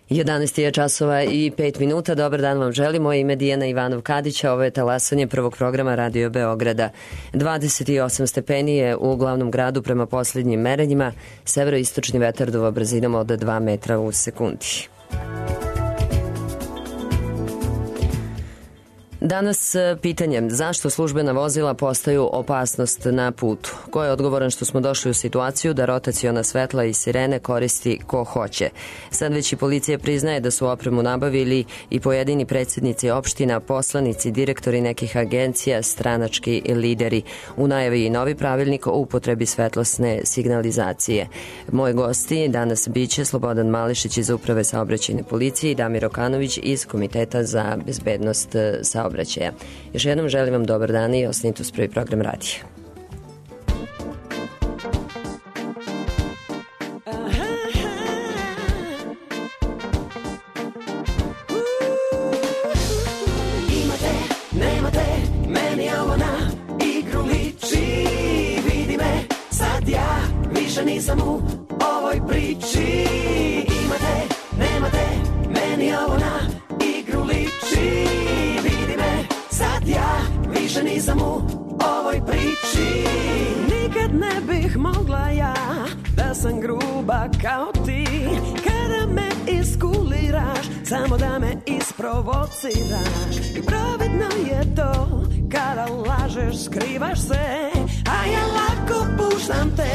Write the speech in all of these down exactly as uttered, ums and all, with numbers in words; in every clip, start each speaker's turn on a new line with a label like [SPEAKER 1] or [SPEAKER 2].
[SPEAKER 1] jedanaest je časova i pet minuta. Dobar dan vam želim. Moje ime Dijana Ivanov-Kadića. Ovo je talasanje prvog programa Radio Beograda. dvadeset osam stepeni je u glavnom gradu prema posljednjim merenjima. Severoistočni vetar duva brzinom od dva metra u sekundi. Danas pitanje, zašto službena vozila postaju opasnost na putu? Ko je odgovoran što smo došli u situaciju da rotaciona svetla i sirene koristi ko hoće? Sad već i policija priznaje da su opremu nabavili i pojedini predsjednici opština, poslanici, direktori nekih agencija, stranački lideri. U najavi i novi pravilnik o upotrebi svetlosne signalizacije. Moji gosti danas biće Slobodan Malešić iz Uprave saobraćajne policije i Damir Okanović iz Komiteta za bezbednost saobraćaja. Još jednom želim vam dobar dan i ostanite uz prvi program radija.
[SPEAKER 2] Imate, nemate, meni ovo na igru liči. Vidi me, sad ja više nisam u ovoj priči. Imate, nemate, meni ovo na igru liči. Sad ja više nisam u ovoj priči. Nikad ne bih mogla ja da sam gruba kao ti. Kada me iskuliraš, samo da me isprovociraš. I pravedno je to kada lažeš, skrivaš se. A ja lako puštam te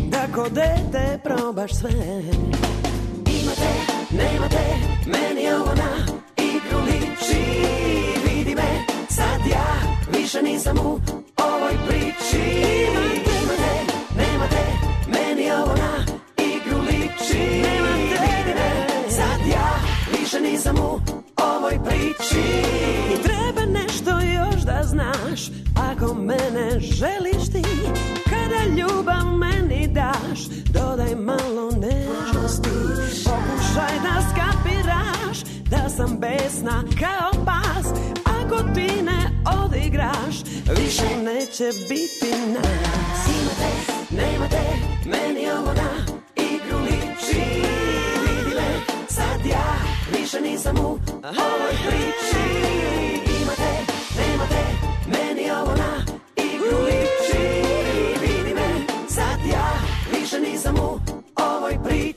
[SPEAKER 2] da ko dete probaš sve. Imate, nemate, meni ovo na igru liči. Vidi me, sad ja više nisam u ovoj priči. Imate, nemate, meni ovo na igru liči. Vidi me, sad ja više nisam u ovoj priči. I treba nešto još da znaš, ako mene želiš ti. Kada ljubav meni daš, dodaj malo nežnosti. Pokušaj da skapiraš da sam besna kao pas. Ako ti ne odigraš, više neće biti nas. Imate, nemate, meni ovo na igru liči. Vidi me, sad ja više nisam u ovoj priči. Imate, nemate, meni ovo na igru liči. Vidi me, sad ja više nisam u ovoj priči.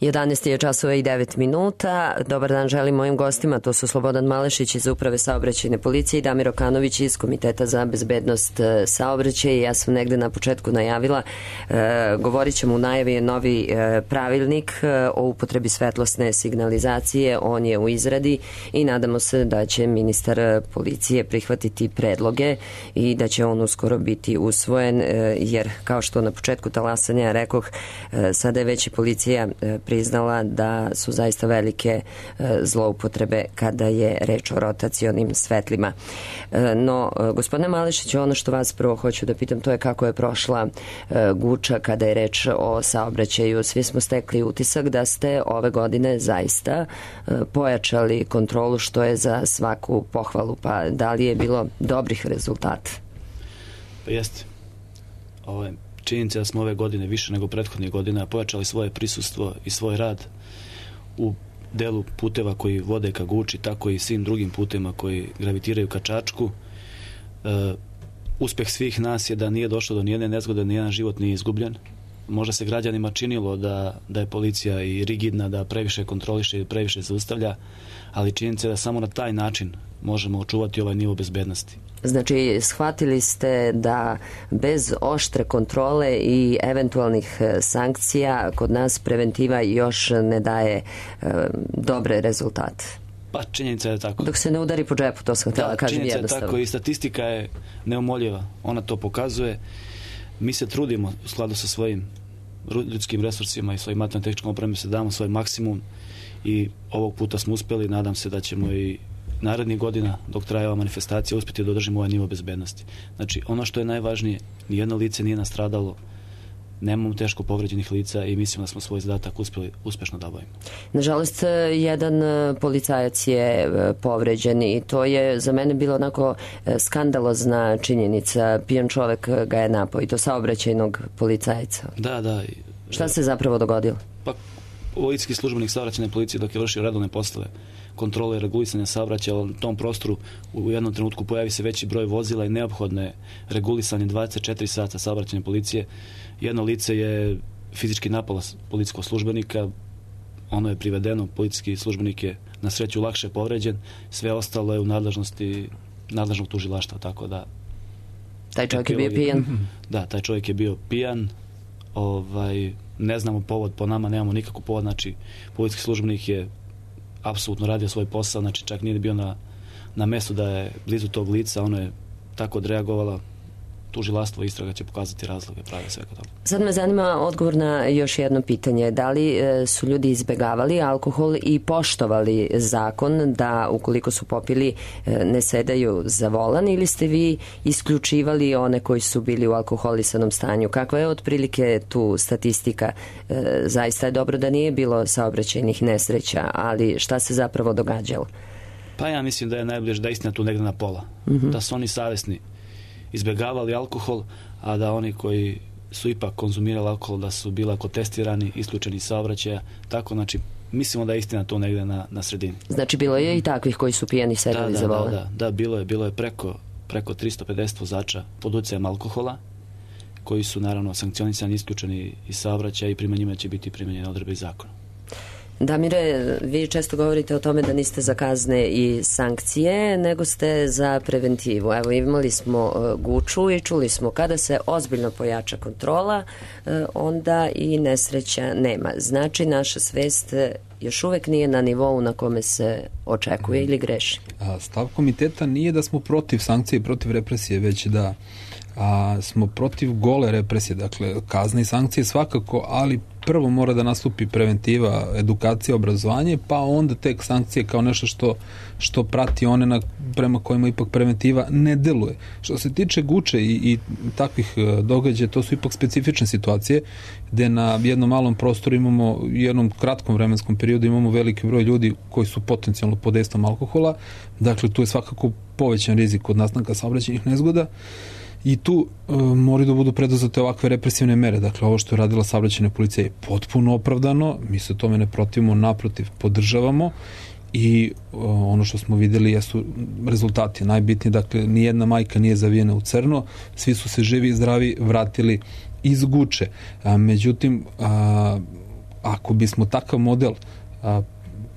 [SPEAKER 1] jedanaest je časova i devet minuta. Dobar dan želim mojim gostima, to su Slobodan Malešić iz Uprave saobraćajne policije i Damir Okanović iz Komiteta za bezbednost saobraćaja. Ja sam negde na početku najavila, e, govorit ćemo u najavi novi e, pravilnik e, o upotrebi svetlosne signalizacije. On je u izradi i nadamo se da će ministar policije prihvatiti predloge i da će on uskoro biti usvojen, e, jer kao što na početku talasanja rekoh, e, sada je već i policija e, priznala da su zaista velike e, zloupotrebe kada je reč o rotacionim svetlima. E, no, gospodine Malešić, ono što vas prvo hoću da pitam, to je kako je prošla e, Guča kada je reč o saobraćaju. Svi smo stekli utisak da ste ove godine zaista e, pojačali kontrolu, što je za svaku pohvalu. Pa da li je bilo dobrih rezultata?
[SPEAKER 3] Pa jeste. Ovo je činjenica da smo ove godine više nego prethodnih godina pojačali svoje prisustvo i svoj rad u delu puteva koji vode ka Guči, tako i svim drugim putevima koji gravitiraju ka Čačku. E, uspeh svih nas je da nije došlo do nijedne nezgode, nijedan život nije izgubljen. Možda se građanima činilo da, da je policija i rigidna, da previše kontroliše i previše zaustavlja, ali činjenica je da samo na taj način možemo očuvati ovaj nivo bezbednosti.
[SPEAKER 1] Znači, shvatili ste da bez oštre kontrole i eventualnih sankcija kod nas preventiva još ne daje e, dobre rezultate.
[SPEAKER 3] Pa činjenica je tako.
[SPEAKER 1] Dok se ne udari po džepu, to sam htjela da kažem jednostavno.
[SPEAKER 3] Činjenica je tako i statistika je neumoljiva. Ona to pokazuje. Mi se trudimo u skladu sa svojim ljudskim resursima i svojim materijalno-tehničkom opremom se damo svoj maksimum i ovog puta smo uspjeli. Nadam se da ćemo i narednih godina, dok traje ova manifestacija, uspjeti da održimo ovaj nivo bezbednosti. Znači, ono što je najvažnije, nijedno lice nije nastradalo, nemamo teško povređenih lica i mislimo da smo svoj zadatak uspjeli uspješno da obavimo.
[SPEAKER 1] Nažalost, jedan policajac je povređen i to je za mene bilo onako skandalozna činjenica. Pijan čovek ga je napao i to saobraćajnog policajca.
[SPEAKER 3] Da, da.
[SPEAKER 1] Šta se zapravo dogodilo?
[SPEAKER 3] Pa, policijski službenik saobraćajne policije dok je vršio redovne poslove kontrole i regulisanja saobraćaja, u tom prostoru u jednom trenutku pojavi se veći broj vozila i neophodno je regulisanje dvadeset četiri sata saobraćajne policije. Jedno lice je fizički napalo policijskog službenika, ono je privedeno, policijski službenik je na sreću lakše povređen, sve ostalo je u nadležnosti nadležnog tužilaštva, tako da...
[SPEAKER 1] Taj čovjek je bio pijan?
[SPEAKER 3] Da, taj čovjek je bio pijan, ovaj, ne znamo povod, po nama nemamo nikakvu povod, znači policijski službenik je apsolutno radio svoj posao, znači čak nije bio na, na mestu da je blizu tog lica, ono je tako odreagovala, tužilaštvo istraga će pokazati razloge prave svega toga.
[SPEAKER 1] Sad me zanima odgovor na još jedno pitanje. Da li e, su ljudi izbegavali alkohol i poštovali zakon da ukoliko su popili e, ne sedaju za volan ili ste vi isključivali one koji su bili u alkoholisanom stanju? Kakva je otprilike tu statistika? E, zaista je dobro da nije bilo saobraćajnih nesreća, ali šta se zapravo događalo?
[SPEAKER 3] Pa ja mislim da je najbliže da je istina tu negde na pola. Mm-hmm. Da su oni savjesni izbjegavali alkohol, a da oni koji su ipak konzumirali alkohol da su bili ako testirani, isključeni iz saobraćaja. Tako, znači, mislimo da je istina to negde na, na sredini.
[SPEAKER 1] Znači, bilo je i takvih koji su pijani sedali
[SPEAKER 3] da,
[SPEAKER 1] za
[SPEAKER 3] da,
[SPEAKER 1] volan?
[SPEAKER 3] Da, da, da, bilo je, bilo je preko, preko tristo pedeset vozača pod utjecajem alkohola, koji su naravno sankcionisani, isključeni iz saobraćaja i prema njima će biti primenjene odredbe iz zakona.
[SPEAKER 1] Damire, vi često govorite o tome da niste za kazne i sankcije, nego ste za preventivu. Evo, imali smo Guču i čuli smo kada se ozbiljno pojača kontrola, onda i nesreća nema. Znači, naša svest još uvek nije na nivou na kome se očekuje ili greši.
[SPEAKER 4] Stav komiteta nije da smo protiv sankcije i protiv represije, već da a, smo protiv gole represije, dakle kazne i sankcije svakako, ali prvo mora da nastupi preventiva, edukacija, obrazovanje, pa onda tek sankcije kao nešto što, što prati one na, prema kojima ipak preventiva ne deluje. Što se tiče Guče i, i takvih događaja, to su ipak specifične situacije gde na jednom malom prostoru imamo, u jednom kratkom vremenskom periodu imamo veliki broj ljudi koji su potencijalno pod dejstvom alkohola, dakle tu je svakako povećan rizik od nastanka saobraćajnih nezgoda. I tu e, moraju da budu preduzete ovakve represivne mere. Dakle, ovo što je radila saobraćajna policija je potpuno opravdano, mi se tome ne protivimo, naprotiv, podržavamo i e, ono što smo videli jesu rezultati najbitniji. Dakle, nijedna majka nije zavijena u crno, svi su se živi i zdravi vratili iz Guče. A, međutim, a, ako bismo takav model a,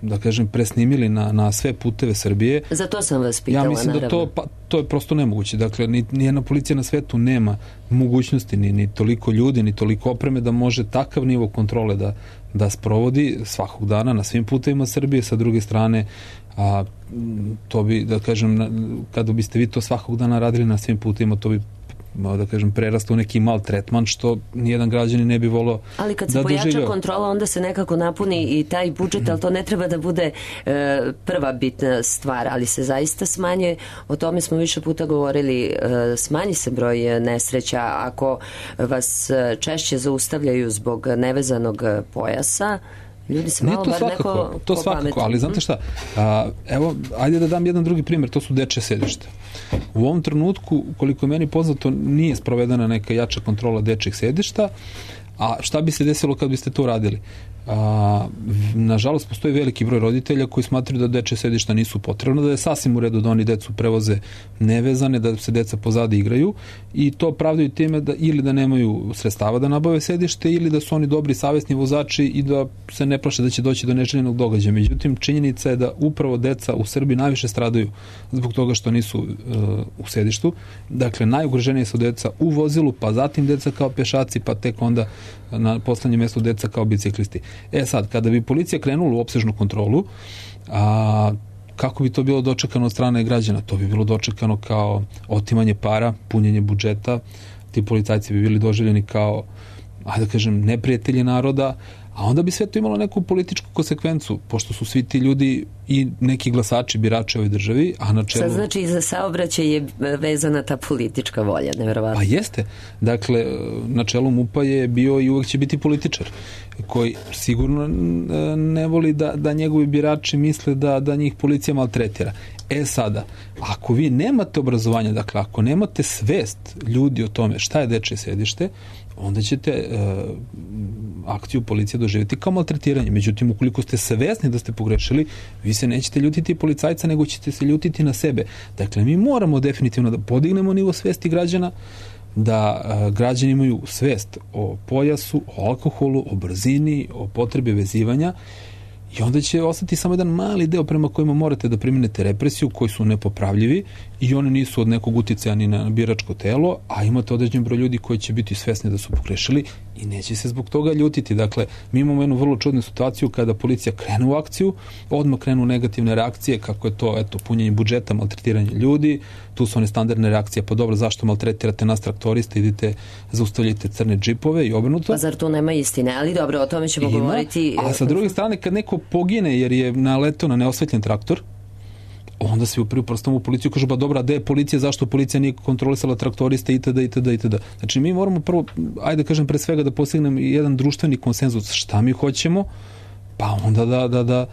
[SPEAKER 4] da kažem, presnimili na, na sve puteve Srbije.
[SPEAKER 1] Zato sam vas pitala,
[SPEAKER 4] ja mislim
[SPEAKER 1] naravno.
[SPEAKER 4] da to, pa, to je prosto nemoguće. Dakle, ni, nijedna policija na svetu nema mogućnosti, ni, ni toliko ljudi, ni toliko opreme da može takav nivo kontrole da, da sprovodi svakog dana na svim putevima Srbije. Sa druge strane, a, to bi, da kažem, kada biste vi to svakog dana radili na svim putevima, to bi da kažem, prerasta u neki mal tretman, što nijedan građanin ne bi volio da doživljava.
[SPEAKER 1] Ali kad se pojača doživljava. Kontrola, onda se nekako napuni i taj budžet, ali to ne treba da bude e, prva bitna stvar, ali se zaista smanje, o tome smo više puta govorili, e, smanji se broj nesreća. Ako vas češće zaustavljaju zbog nevezanog pojasa, ljudi se malo bar
[SPEAKER 4] svakako,
[SPEAKER 1] neko
[SPEAKER 4] to svakako, ali znate šta, a, evo, ajde da dam jedan drugi primjer, to su dečje sedišta. U ovom trenutku, koliko je meni poznato, nije sprovedena neka jača kontrola dečjih sedišta, a šta bi se desilo kad biste to radili? A, nažalost postoji veliki broj roditelja koji smatraju da dečje sedišta nisu potrebna, da je sasvim u redu da oni decu prevoze nevezane, da se deca pozadi igraju i to pravdaju time da ili da nemaju sredstava da nabave sedište ili da su oni dobri savesni vozači i da se ne plaše da će doći do neželjenog događaja. Međutim, činjenica je da upravo deca u Srbiji najviše stradaju zbog toga što nisu uh, u sedištu. Dakle, najugroženije su deca u vozilu, pa zatim deca kao pešaci, pa tek onda na poslednjem mjestu deca kao biciklisti. E sad, kada bi policija krenula u opsežnu kontrolu, a, kako bi to bilo dočekano od strane građana? To bi bilo dočekano kao otimanje para, punjenje budžeta, ti policajci bi bili doživljeni kao, ajde da kažem, neprijatelji naroda, a onda bi sve to imalo neku političku konsekvencu, pošto su svi ti ljudi i neki glasači, birači u ovoj državi, a na čelu...
[SPEAKER 1] Sad znači i za saobraćaj je vezana ta politička volja, nevjerovatno.
[SPEAKER 4] Pa jeste. Dakle, na čelu MUP-a je bio i uvek će biti političar, koji sigurno ne voli da, da njegovi birači misle da, da njih policija maltretira. E sada, ako vi nemate obrazovanja, dakle, ako nemate svest ljudi o tome šta je dečje sedište, onda ćete e, akciju policije doživjeti kao maltretiranje. Međutim, ukoliko ste svesni da ste pogrešili, vi se nećete ljutiti policajca, nego ćete se ljutiti na sebe. Dakle, mi moramo definitivno da podignemo nivo svesti građana, da e, građani imaju svest o pojasu, o alkoholu, o brzini, o potrebi vezivanja, i onda će ostati samo jedan mali deo prema kojima morate da primenete represiju, koji su nepopravljivi i oni nisu od nekog uticaja ni na biračko telo, a imate određen broj ljudi koji će biti svesni da su pogrešili i neće se zbog toga ljutiti. Dakle, mi imamo jednu vrlo čudnu situaciju kada policija krene u akciju, odmah krenu negativne reakcije, kako je to, eto, punjenje budžeta, maltretiranje ljudi, tu su one standardne reakcije, pa dobro, zašto maltretirate nas traktoriste, idite, zaustavljate crne džipove i obrnuto.
[SPEAKER 1] Pa zar tu nema istine? Ali dobro, o tome ćemo Ima, govoriti.
[SPEAKER 4] A sa druge strane, kad neko pogine jer je naletao na neosvetljen traktor, onda se upriju prstom u policiju, kažu, ba dobra, gde je policija, zašto policija nije kontrolisala traktoriste itd. itd. itd. Znači, mi moramo prvo, ajde kažem, pre svega da postignemo jedan društveni konsenzus šta mi hoćemo, pa onda da, da, da,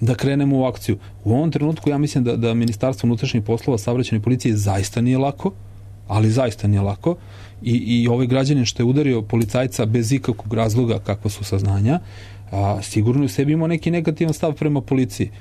[SPEAKER 4] da krenemo u akciju. U ovom trenutku ja mislim da, da Ministarstvo unutrašnjih poslova, saobraćajne policije zaista nije lako, ali zaista nije lako i, i ovaj građanin što je udario policajca bez ikakvog razloga, kakva su saznanja, a, sigurno u sebi imao neki negativan stav prema policiji.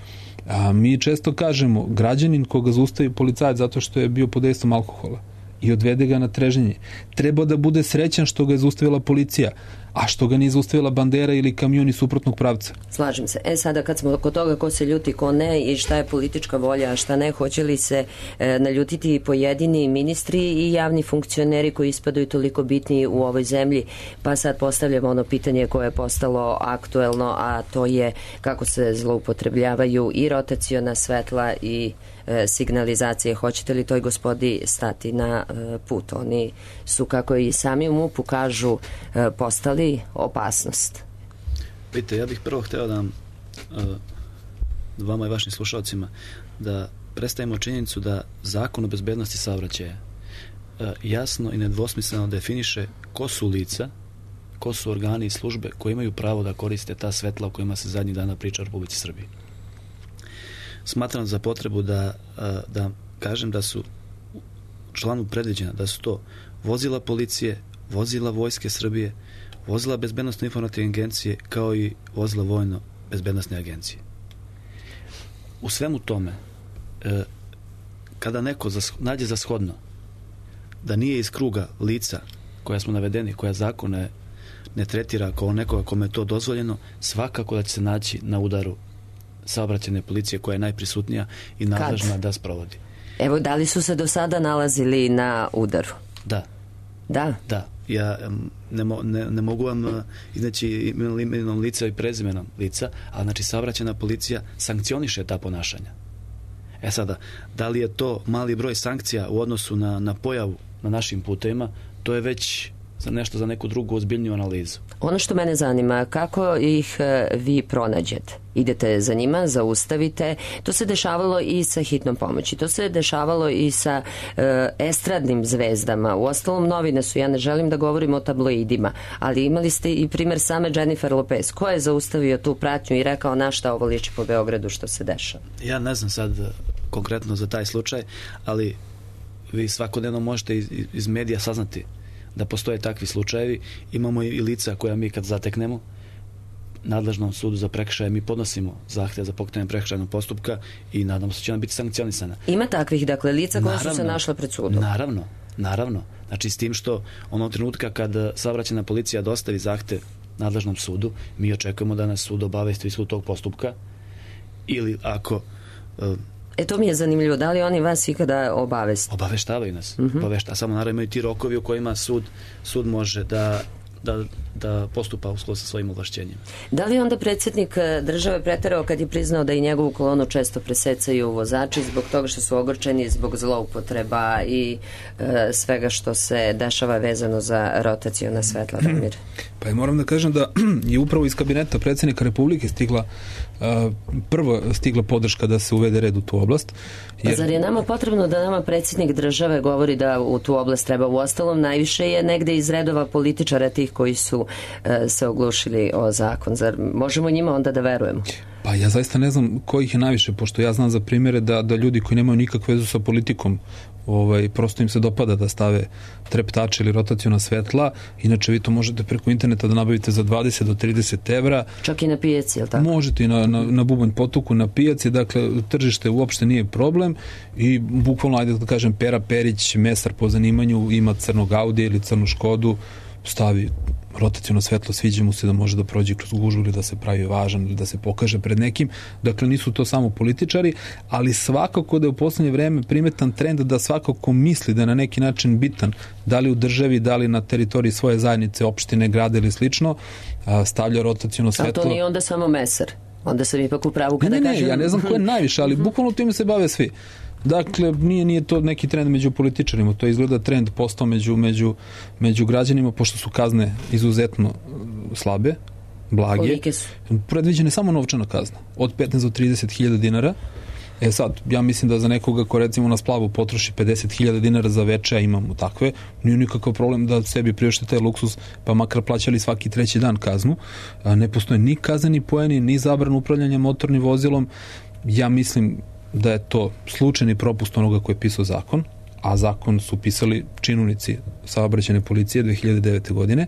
[SPEAKER 4] A mi često kažemo, građanin koga zaustavi policajac zato što je bio pod dejstvom alkohola i odvede ga na treženje, treba da bude srećan što ga je zaustavila policija, a što ga nije zaustavila bandera ili kamion iz suprotnog pravca.
[SPEAKER 1] Slažem se. E sada kad smo kod toga ko se ljuti, ko ne i šta je politička volja, a šta ne, hoće li se e, naljutiti pojedini ministri i javni funkcioneri koji ispadaju toliko bitni u ovoj zemlji, pa sad postavljamo ono pitanje koje je postalo aktuelno, a to je kako se zloupotrebljavaju i rotaciona svetla i e, signalizacije. Hoćete li toj gospodi stati na e, put? Oni su, kako i sami u MUP-u kažu, e, postali opasnost.
[SPEAKER 3] Vidite, ja bih prvo hteo da vam, uh, vama i vašim slušalcima, da predstavimo činjenicu da Zakon o bezbednosti saobraćaja uh, jasno i nedvosmisleno definiše ko su lica, ko su organi i službe koji imaju pravo da koriste ta svetla o kojima se zadnjih dana priča u Republici Srbiji. Smatram za potrebu da, uh, da kažem da su članu predviđena da su to vozila policije, vozila Vojske Srbije, vozila bezbednostne informativne agencije, kao i vozila vojno bezbednostne agencije. U svemu tome, e, kada neko za, nađe za shodno da nije iz kruga lica koja smo navedeni, koja zakon ne, ne tretira kao nekoga kome je to dozvoljeno, svakako da će se naći na udaru saobraćajne policije koja je najprisutnija i nadležna da sprovodi.
[SPEAKER 1] Evo, da li su se do sada nalazili na udaru?
[SPEAKER 3] Da.
[SPEAKER 1] Da?
[SPEAKER 3] Da. Ja ne, mo, ne, ne mogu vam iznaći imenom lica i prezimenom lica, a znači saobraćajna policija sankcioniše ta ponašanja. E sada, da li je to mali broj sankcija u odnosu na, na pojavu na našim putevima, to je već za nešto za neku drugu ozbiljniju analizu.
[SPEAKER 1] Ono što mene zanima, kako ih vi pronađete? Idete za njima, zaustavite. To se dešavalo i sa hitnom pomoći. To se dešavalo i sa e, estradnim zvezdama. U ostalom, novine su, ja ne želim da govorim o tabloidima, ali imali ste i primer same Jennifer Lopez. Ko je zaustavio tu pratnju i rekao na šta ovo liči po Beogradu što se dešava?
[SPEAKER 3] Ja ne znam sad konkretno za taj slučaj, ali vi svakodnevno možete iz, iz medija saznati da postoje takvi slučajevi. Imamo i lica koja mi kad zateknemo nadležnom sudu za prekršaje mi podnosimo zahtjev za pokretanje prekršajnog postupka i nadamo se da će ona biti sankcionisana.
[SPEAKER 1] Ima takvih, dakle, lica koja su se našla pred sudom?
[SPEAKER 3] Naravno, naravno. Znači, s tim što onog trenutka kad saobraćajna policija dostavi zahtjev nadležnom sudu, mi očekujemo da nas sud obavesti ishod tog postupka ili ako... Uh,
[SPEAKER 1] E, to mi je zanimljivo. Da li oni vas ikada obavesti?
[SPEAKER 3] Obaveštavaju nas.
[SPEAKER 1] Uh-huh.
[SPEAKER 3] Obavešta, samo naravno imaju ti rokovi u kojima sud, sud može da, da, da postupa u skladu sa svojim ovlašćenjima.
[SPEAKER 1] Da li onda predsjednik države preterao kad je priznao da i njegovu kolonu često presecaju vozači zbog toga što su ogorčeni, zbog zloupotreba i e, svega što se dešava vezano za rotaciona svetla, Damir?
[SPEAKER 4] Pa ja moram da kažem da je upravo iz kabineta predsjednika Republike stigla Uh, prvo stigla podrška da se uvede red u tu oblast.
[SPEAKER 1] Jer... Zar je nama potrebno da nama predsjednik države govori da u tu oblast treba? U ostalom, najviše je negde iz redova političara tih koji su uh, se oglušili o zakon. Zar možemo njima onda da verujemo?
[SPEAKER 4] Pa ja zaista ne znam kojih je najviše, pošto ja znam za primjere da, da ljudi koji nemaju nikakvu vezu sa politikom, ovaj, prosto im se dopada da stave treptače ili rotaciona svetla. Inače vi to možete preko interneta da nabavite za dvadeset do trideset evra.
[SPEAKER 1] Čak i na pijaci, je li tako?
[SPEAKER 4] Možete i na, na, na Bubanj potoku, na pijaci, dakle tržište uopšte nije problem i bukvalno, ajde da kažem, Pera Perić, mesar po zanimanju, ima crnog Audija ili crnu Škodu, stavi rotaciono svetlo, sviđa mu se da može da prođe kroz gužvu ili da se pravi važan ili da se pokaže pred nekim. Dakle, nisu to samo političari, ali svakako da je u poslednje vreme primetan trend da svakako misli da je na neki način bitan, da li u državi, da li na teritoriji svoje zajednice, opštine, grada ili slično, stavlja rotaciono svetlo.
[SPEAKER 1] A to nije onda samo mesar? Onda sam ipak u pravu kada
[SPEAKER 4] ne, ne,
[SPEAKER 1] kažem...
[SPEAKER 4] Ne, ja ne znam ko je najviše, ali bukvalno time se bave svi. Dakle, nije, nije to neki trend među političarima, to izgleda trend postao među, među, među građanima, pošto su kazne izuzetno slabe, blage.
[SPEAKER 1] Kolike su?
[SPEAKER 4] Predviđene samo novčana kazna, od petnaest do trideset hiljada dinara. E sad, ja mislim da za nekoga ko recimo na splavu potroši pedeset hiljada dinara za veče, a imamo takve, nije nikakav problem da sebi priušte taj luksus, pa makar plaćali svaki treći dan kaznu. Ne postoje ni kazneni poeni, ni zabran upravljanja motornim vozilom. Ja mislim da je to slučajni propust onoga koji je pisao zakon, a zakon su pisali činovnici saobraćajne policije dve hiljade devete. godine.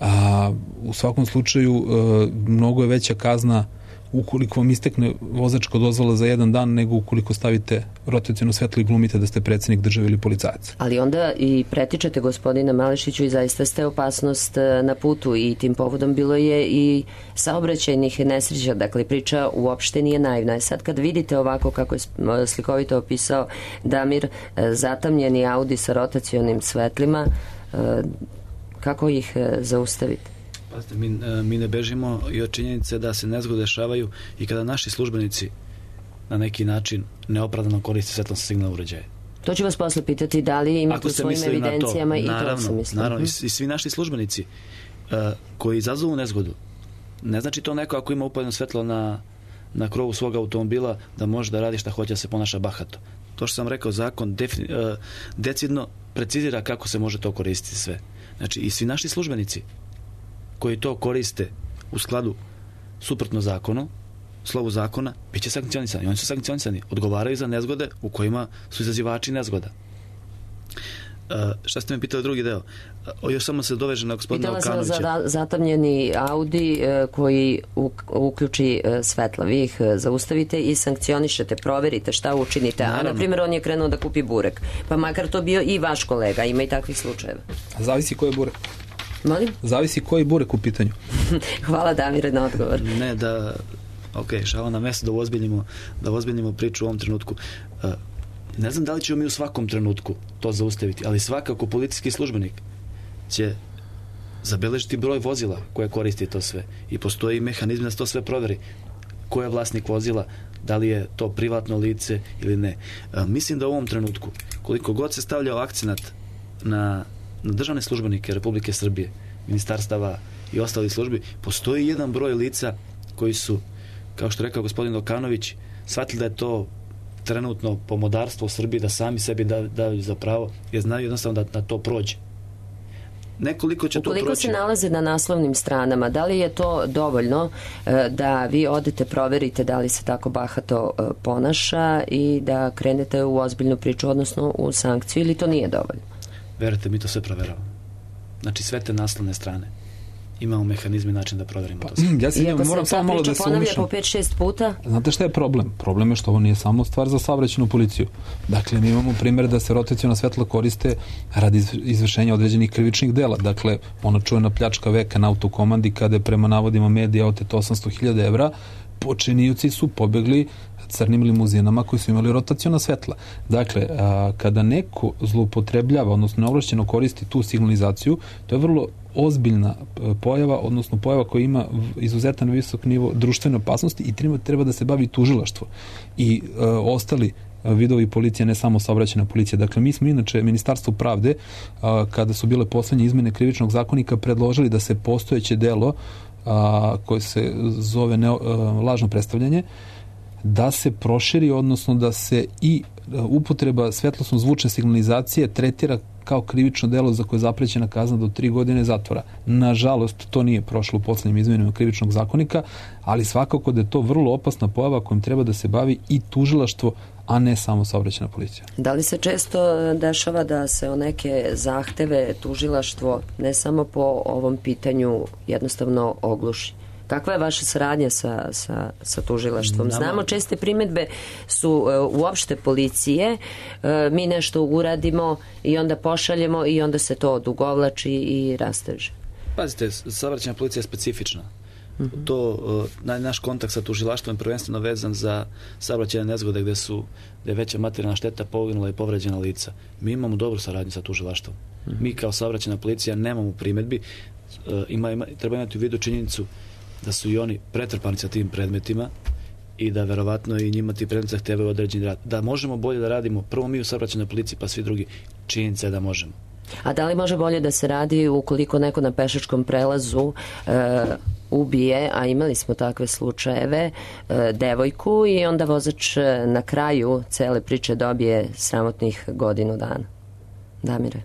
[SPEAKER 4] A, u svakom slučaju e, mnogo je veća kazna ukoliko vam istekne vozačka dozvola za jedan dan nego ukoliko stavite rotaciono svetlo i glumite da ste predsjednik države ili policajac.
[SPEAKER 1] Ali onda i pretičete gospodina Malešiću i zaista ste opasnost na putu i tim povodom bilo je i saobraćajnih nesreća, dakle priča uopšte nije naivna. Sad kad vidite ovako kako je slikovito opisao Damir, zatamnjeni Audi sa rotacionim svetlima, kako ih zaustavite?
[SPEAKER 3] Mi, mi ne bežimo i od činjenice da se nezgode dešavaju i kada naši službenici na neki način neopravdano koriste svetlosne signalne uređaje.
[SPEAKER 1] To ću vas posle pitati da li imate u svojim evidencijama to, i
[SPEAKER 3] naravno,
[SPEAKER 1] to sam mislim.
[SPEAKER 3] Naravno, i, i svi naši službenici uh, koji izazovu nezgodu, ne znači to neko ako ima upaljeno svetlo na, na krovu svog automobila da može da radi šta hoće, da se ponaša bahato. To što sam rekao, zakon defini, uh, decidno precizira kako se može to koristiti sve. Znači i svi naši službenici koji to koriste u skladu suprotno zakonu, slovu zakona, bit će sankcionisani. Oni su sankcionisani. Odgovaraju za nezgode u kojima su izazivači nezgoda. Uh, šta ste me pitali drugi deo? Uh, još samo se doveže na gospodina Okanovića.
[SPEAKER 1] Pitala sam za zatamnjeni Audi uh, koji uk, uključi uh, svetla. Vi ih uh, zaustavite i sankcionišete, proverite šta učinite. Naravno. A na primjer on je krenuo da kupi burek. Pa makar to bio i vaš kolega. Ima i takvih slučajeva.
[SPEAKER 4] Zavisi ko je burek.
[SPEAKER 1] Molim?
[SPEAKER 4] Zavisi koji burek u pitanju.
[SPEAKER 1] Hvala Damire na odgovor.
[SPEAKER 3] Ne, da, ok, šala na mesto da ozbiljimo, da ozbiljimo priču u ovom trenutku. Uh, ne znam da li ćemo mi u svakom trenutku to zaustaviti, ali svakako policijski službenik će zabeležiti broj vozila koje koristi to sve. I postoji mehanizm da se to sve proveri. Ko je vlasnik vozila, da li je to privatno lice ili ne. Uh, mislim da u ovom trenutku, koliko god se stavljao akcenat na na državne službenike Republike Srbije, ministarstava i ostalih službi, postoji jedan broj lica koji su, kao što rekao gospodin Okanović, shvatili da je to trenutno pomodarstvo u Srbiji, da sami sebi daju da, za pravo, jer znaju jednostavno da, da to prođe. Nekoliko će
[SPEAKER 1] Ukoliko
[SPEAKER 3] to proći.
[SPEAKER 1] Se nalaze na naslovnim stranama, da li je to dovoljno da vi odete, proverite da li se tako bahato ponaša i da krenete u ozbiljnu priču, odnosno u sankciju, ili to nije dovoljno?
[SPEAKER 3] Verujte, mi to sve proveravamo. Znači sve te naslovne strane. imamo mehanizme i način da proverimo
[SPEAKER 4] pa,
[SPEAKER 3] to.
[SPEAKER 4] Ja se njima, moram samo malo da se
[SPEAKER 1] ponavlja po pet šest puta.
[SPEAKER 4] Znate šta je problem? Problem je što ovo nije samo stvar za saobraćajnu policiju. Dakle, mi imamo primjer da se rotaciona svetla koriste radi izvršenja određenih krivičnih dela. Dakle, ona čujena pljačka veka na autokomandi kada je prema navodima medija oteto osamsto hiljada evra, počinioci su pobegli crnim limuzinama koji su imali rotaciona svetla. Dakle, a, kada neko zloupotrebljava, odnosno neovlašćeno koristi tu signalizaciju, to je vrlo ozbiljna pojava, odnosno pojava koja ima izuzetan visok nivo društvene opasnosti i treba, treba da se bavi tužilaštvo i e, ostali vidovi policije, ne samo saobraćajna policija. Dakle, mi smo inače Ministarstvo pravde, a, kada su bile poslednje izmene krivičnog zakonika, predložili da se postojeće delo a, koje se zove ne, a, lažno predstavljanje, da se proširi, odnosno da se i upotreba svetlosno zvučne signalizacije tretira kao krivično delo za koje je zaprećena kazna do tri godine zatvora. Nažalost, to nije prošlo u poslednjim izmenama krivičnog zakonika, ali svakako da je to vrlo opasna pojava kojom treba da se bavi i tužilaštvo, a ne samo saobraćajna policija.
[SPEAKER 1] Da li se često dešava da se o neke zahteve tužilaštvo ne samo po ovom pitanju jednostavno ogluši? Kakva je vaša saradnja sa, sa, sa tužilaštvom? Znamo, česte primedbe su uh, uopšte policije, uh, mi nešto uradimo i onda pošaljemo i onda se to odugovlači i rasteže.
[SPEAKER 3] Pazite, saobraćajna policija je specifična. Mm-hmm. To, uh, naš kontakt sa tužilaštvom je prvenstveno vezan za saobraćajne nezgode gde su gde je veća materijalna šteta, poginula i povređena lica. Mi imamo dobru saradnju sa tužilaštvom. Mm-hmm. Mi kao saobraćajna policija nemamo primedbi. Uh, ima, ima, treba imati u vidu činjenicu da su i oni pretrpani sa tim predmetima i da verovatno i njima ti predmeti zahtevaju određeni rad. Da možemo bolje da radimo, prvo mi u saobraćajnoj policiji, pa svi drugi, činjenica je da možemo.
[SPEAKER 1] A da li može bolje da se radi ukoliko neko na pešačkom prelazu e, ubije, a imali smo takve slučajeve, e, devojku i onda vozač na kraju cele priče dobije sramotnih godinu dana? Damire?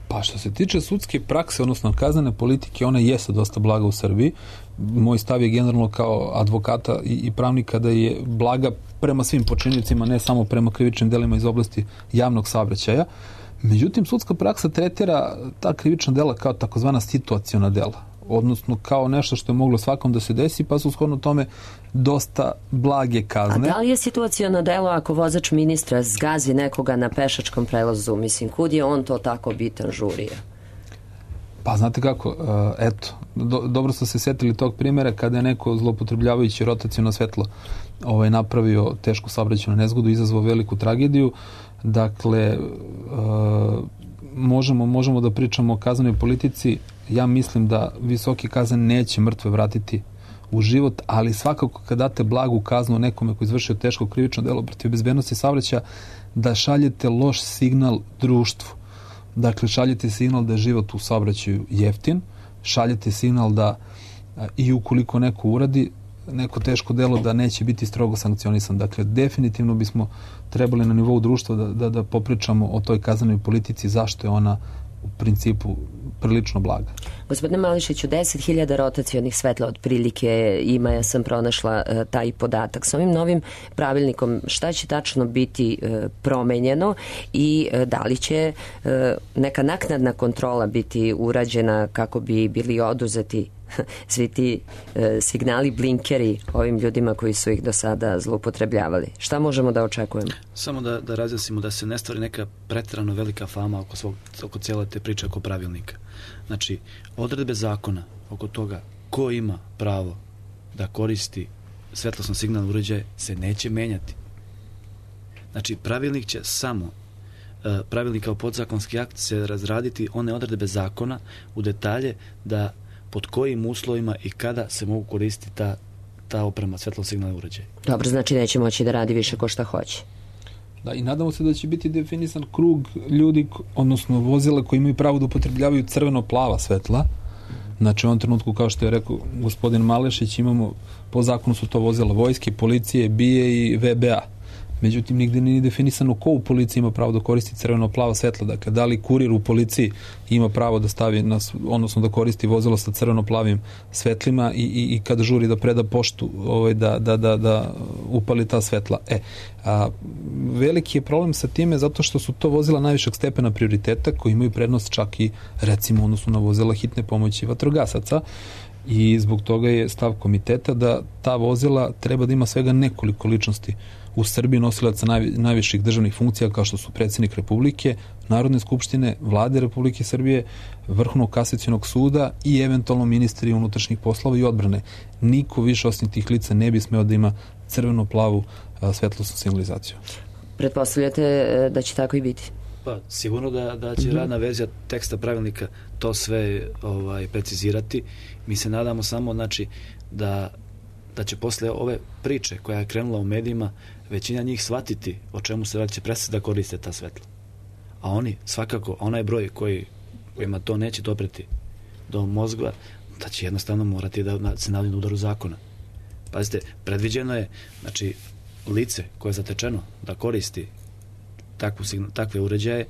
[SPEAKER 4] Pa što se tiče sudske prakse, odnosno kaznene politike, ona jeste dosta blaga u Srbiji. Moj stav je generalno kao advokata i, i pravnika da je blaga prema svim počiniteljima, ne samo prema krivičnim delima iz oblasti javnog saobraćaja. Međutim, sudska praksa tretira ta krivična dela kao takozvana situaciona dela, odnosno kao nešto što je moglo svakom da se desi, pa su shodno tome dosta blage kazne.
[SPEAKER 1] A da li je situaciono delo ako vozač ministra zgazi nekoga na pešačkom prelazu? Mislim, kud je on to tako bitan žurija?
[SPEAKER 4] Pa znate kako, eto, do, dobro ste se setili tog primjera kada je neko zloupotrebljavajući rotaciono svetlo ovaj, napravio tešku saobraćajnu nezgodu, izazvao veliku tragediju. Dakle, možemo, možemo da pričamo o kaznenoj politici. Ja mislim da visoki kazan neće mrtve vratiti u život, ali svakako kad date blagu kaznu nekome koji izvršio teško krivično delo protiv bezbednosti saobraćaja, da šaljete loš signal društvu. Dakle, šaljete signal da je život u saobraćaju jeftin, šaljete signal da i ukoliko neko uradi neko teško delo da neće biti strogo sankcionisan. Dakle, definitivno bismo trebali na nivou društva da, da, da popričamo o toj kaznenoj politici, zašto je ona u principu prilično blaga.
[SPEAKER 1] Gospodine Mališiću, deset hiljada rotacionih svetla otprilike ima, ja sam pronašla e, taj podatak. Sa ovim novim pravilnikom šta će tačno biti e, promenjeno i e, da li će e, neka naknadna kontrola biti urađena kako bi bili oduzeti svi ti e, signali, blinkeri ovim ljudima koji su ih do sada zloupotrebljavali? Šta možemo da očekujemo?
[SPEAKER 3] Samo da, da razjasnimo da se ne stvori neka preterano velika fama oko, svog, oko cijele te priče oko pravilnika. Znači, odredbe zakona oko toga ko ima pravo da koristi svetlosno signalno uređaje se neće menjati. Znači, pravilnik će samo e, pravilnik kao podzakonski akt se razraditi one odredbe zakona u detalje da pod kojim uslovima i kada se mogu koristiti ta, ta oprema svetlosno-signalne uređaje.
[SPEAKER 1] Dobro, znači neće moći da radi više ko šta hoće.
[SPEAKER 4] Da, i nadamo se da će biti definisan krug ljudi, odnosno vozila koji imaju pravo da upotrebljavaju crveno-plava svetla. Znači, u ovom trenutku, kao što je rekao gospodin Malešić, imamo, po zakonu su to vozila vojske, policije, B I A i V B A. međutim nigde nije definisano ko u policiji ima pravo da koristi crveno-plavo svetlo, dakle da li kurir u policiji ima pravo da stavi, na, odnosno da koristi vozilo sa crveno-plavim svetlima i, i, i kada žuri da preda poštu ovaj, da, da, da, da upali ta svetla. E, a, veliki je problem sa time zato što su to vozila najvišeg stepena prioriteta koji imaju prednost čak i recimo odnosno na vozila hitne pomoći vatrogasaca i zbog toga je stav komiteta da ta vozila treba da ima svega nekoliko ličnosti u Srbiji nosilaca naj, najviših državnih funkcija kao što su predsjednik Republike, Narodne skupštine, Vlade Republike Srbije, Vrhovnog kasacionog suda i eventualno ministri unutrašnjih poslova i odbrane. Niko više osim tih lica ne bi smeo da ima crveno-plavu svetlosnu signalizaciju.
[SPEAKER 1] Pretpostavljate da će tako i biti?
[SPEAKER 3] Pa, sigurno da, da će radna verzija teksta pravilnika to sve ovaj, precizirati. Mi se nadamo samo znači, da, da će posle ove priče koja je krenula u medijima većina njih shvatiti o čemu se radi, će prestati da koriste ta svetla. A oni, svakako, onaj broj koji, kojima to neće dopreti do mozga, da će jednostavno morati da se navljenu udaru zakona. Pazite, predviđeno je, znači, lice koje je zatečeno da koristi takvu, takve uređaje,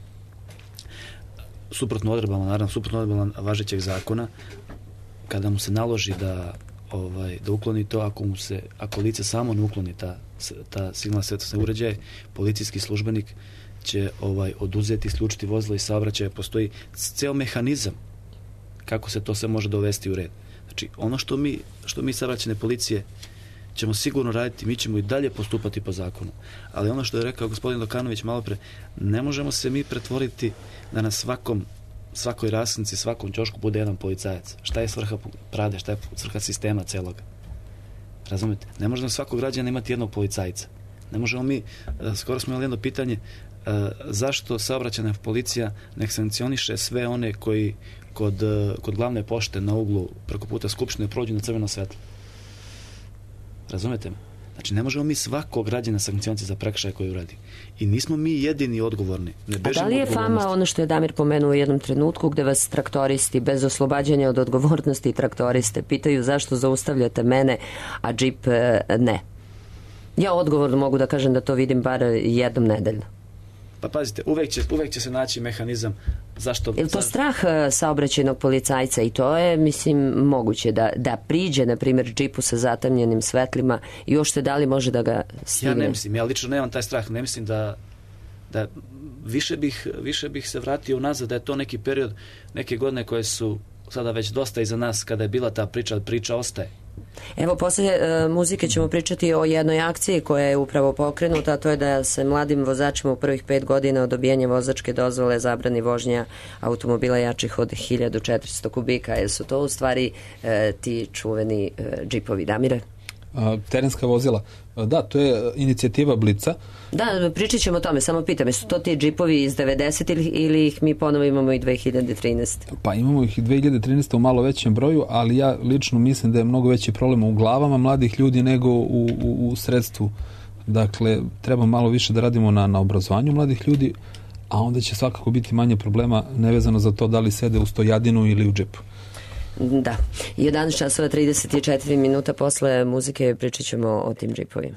[SPEAKER 3] suprotno odredbama, naravno, suprotno odredbama važećeg zakona, kada mu se naloži da, ovaj, da ukloni to, ako, mu se, ako lice samo ne ukloni ta, ta signalna svetlosne uređaje, policijski službenik će ovaj, oduzeti, isključiti vozilo i saobraćaja. Postoji ceo mehanizam kako se to sve može dovesti u red. Znači, ono što mi, što mi saobraćajne policije ćemo sigurno raditi, mi ćemo i dalje postupati po zakonu. Ali ono što je rekao gospodin Dokanović malo pre, ne možemo se mi pretvoriti da na svakom, svakoj rasknici, svakom ćošku bude jedan policajac. Šta je svrha Prade, šta je svrha sistema celoga? Razumete? Ne možemo svakog građana imati jednog policajca. Ne možemo mi, skoro smo imali jedno pitanje, zašto saobraćajna policija ne sankcioniše sve one koji kod, kod glavne pošte na uglu preko puta Skupštine prođu na crveno svetlo. Razumete me? Znači, ne možemo mi svakog građana sankcioniti za prekršaj koji uradi. I nismo mi jedini odgovorni. Ne
[SPEAKER 1] A da li je fama ono što je Damir pomenuo u jednom trenutku gde vas traktoristi bez oslobađanja od odgovornosti traktoriste pitaju zašto zaustavljate mene, a džip ne? Ja odgovorno mogu da kažem da to vidim bar jednom nedeljno.
[SPEAKER 3] Pa pazite, uvek će, uvek će se naći mehanizam zašto...
[SPEAKER 1] Je li to strah saobraćajnog policajca i to je, mislim, moguće da, da priđe, na primjer, džipu sa zatamljenim svetlima i uopšte da li može da ga stigne?
[SPEAKER 3] Ja ne mislim, ja lično nemam taj strah, ne mislim da, da više, bih, više bih se vratio unazad, da je to neki period, neke godine koje su sada već dosta iza nas, kada je bila ta priča, priča ostaje.
[SPEAKER 1] Evo, posle e, muzike ćemo pričati o jednoj akciji koja je upravo pokrenuta, a to je da se mladim vozačima u prvih pet godina od dobijanja vozačke dozvole zabrani vožnja automobila jačih od hiljadu četiristo kubika. Jer su to u stvari e, ti čuveni e, džipovi, Damire?
[SPEAKER 4] A, terenska vozila. Da, to je inicijativa Blica.
[SPEAKER 1] Da, pričat ćemo o tome, samo pitam, su to ti džipovi iz devedesetih ili ih mi ponovo imamo i dve hiljade trinaeste?
[SPEAKER 4] Pa imamo ih i dve hiljade trinaeste u malo većem broju, ali ja lično mislim da je mnogo veći problem u glavama mladih ljudi nego u, u, u sredstvu. Dakle, treba malo više da radimo na, na obrazovanju mladih ljudi, a onda će svakako biti manje problema nevezano za to da li sede u stojadinu ili u džipu.
[SPEAKER 1] Da, jedanaest časova trideset četiri minuta posle muzike pričat ćemo o tim džipovima.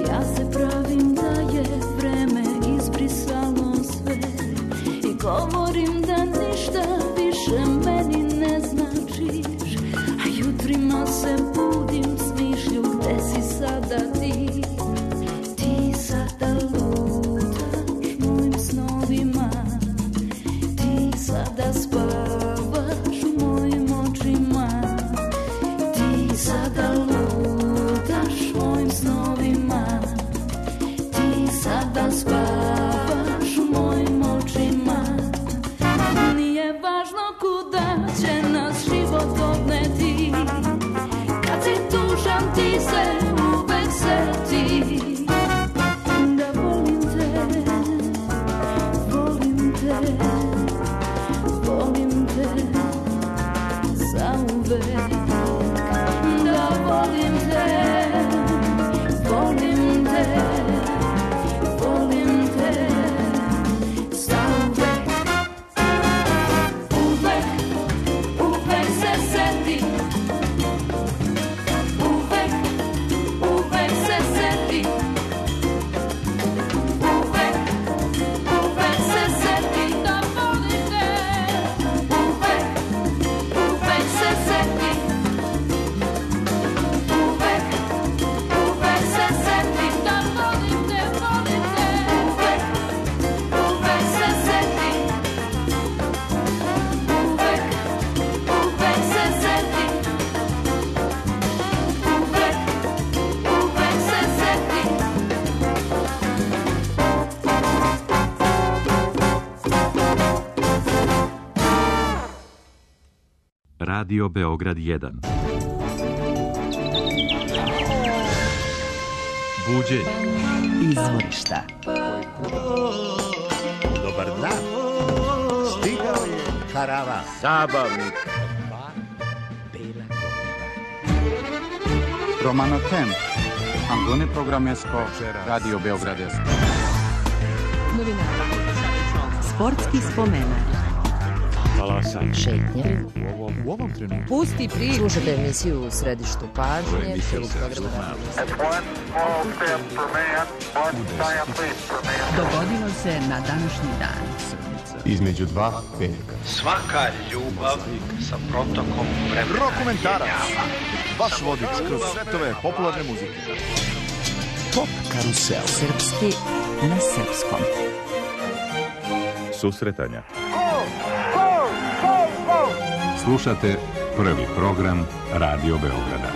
[SPEAKER 5] Ja se pravim da je vreme izbrisalo sve i govorim da ništa više meni ne značiš, a jutrima se budim s mišlju gde si sada ti. Ti sada lutaš mojim snovima, ti sada spavaš u mojim očima, ti sada lutaš mojim snovima, ti sada spavaš u mojim očima. Nije važno kuda će nas život odneti, kad si tužan ti se uvek seti da volim te, volim te, volim te zauvek, da volim te, volim te, volim te zauvek. Uvek, uvek se seti, uvek, uvek se seti, uvek, uvek se seti da volim te, uvek, uvek se seti, uvek, uvek se seti da volim te, volim te, uvek, uvek se seti, uvek, uvek se seti, uvek, uvek se seti.
[SPEAKER 6] Radio Beograd jedan. Buđenje.
[SPEAKER 7] Izvorišta.
[SPEAKER 8] Dobar dan. Stigao je karavan.
[SPEAKER 7] Zabavnik.
[SPEAKER 9] Romano Tem. Angone programesko Radio Beograd jedan.
[SPEAKER 7] Sportski spomenak.
[SPEAKER 1] Šetnje.
[SPEAKER 8] U ovom trenutku.
[SPEAKER 1] Pusti priču. Slušate emisiju u središtu pažnje.
[SPEAKER 7] Dogodilo se na današnji dan.
[SPEAKER 8] Između dva velika.
[SPEAKER 10] Svaka ljubav sa protokom vremena.
[SPEAKER 8] Rokomentarac. Vaš vodič kroz svetove popularne muzike. Top karusel.
[SPEAKER 7] Srpski na srpskom.
[SPEAKER 6] Susretanja.
[SPEAKER 11] Slušate prvi program Radio Beograda.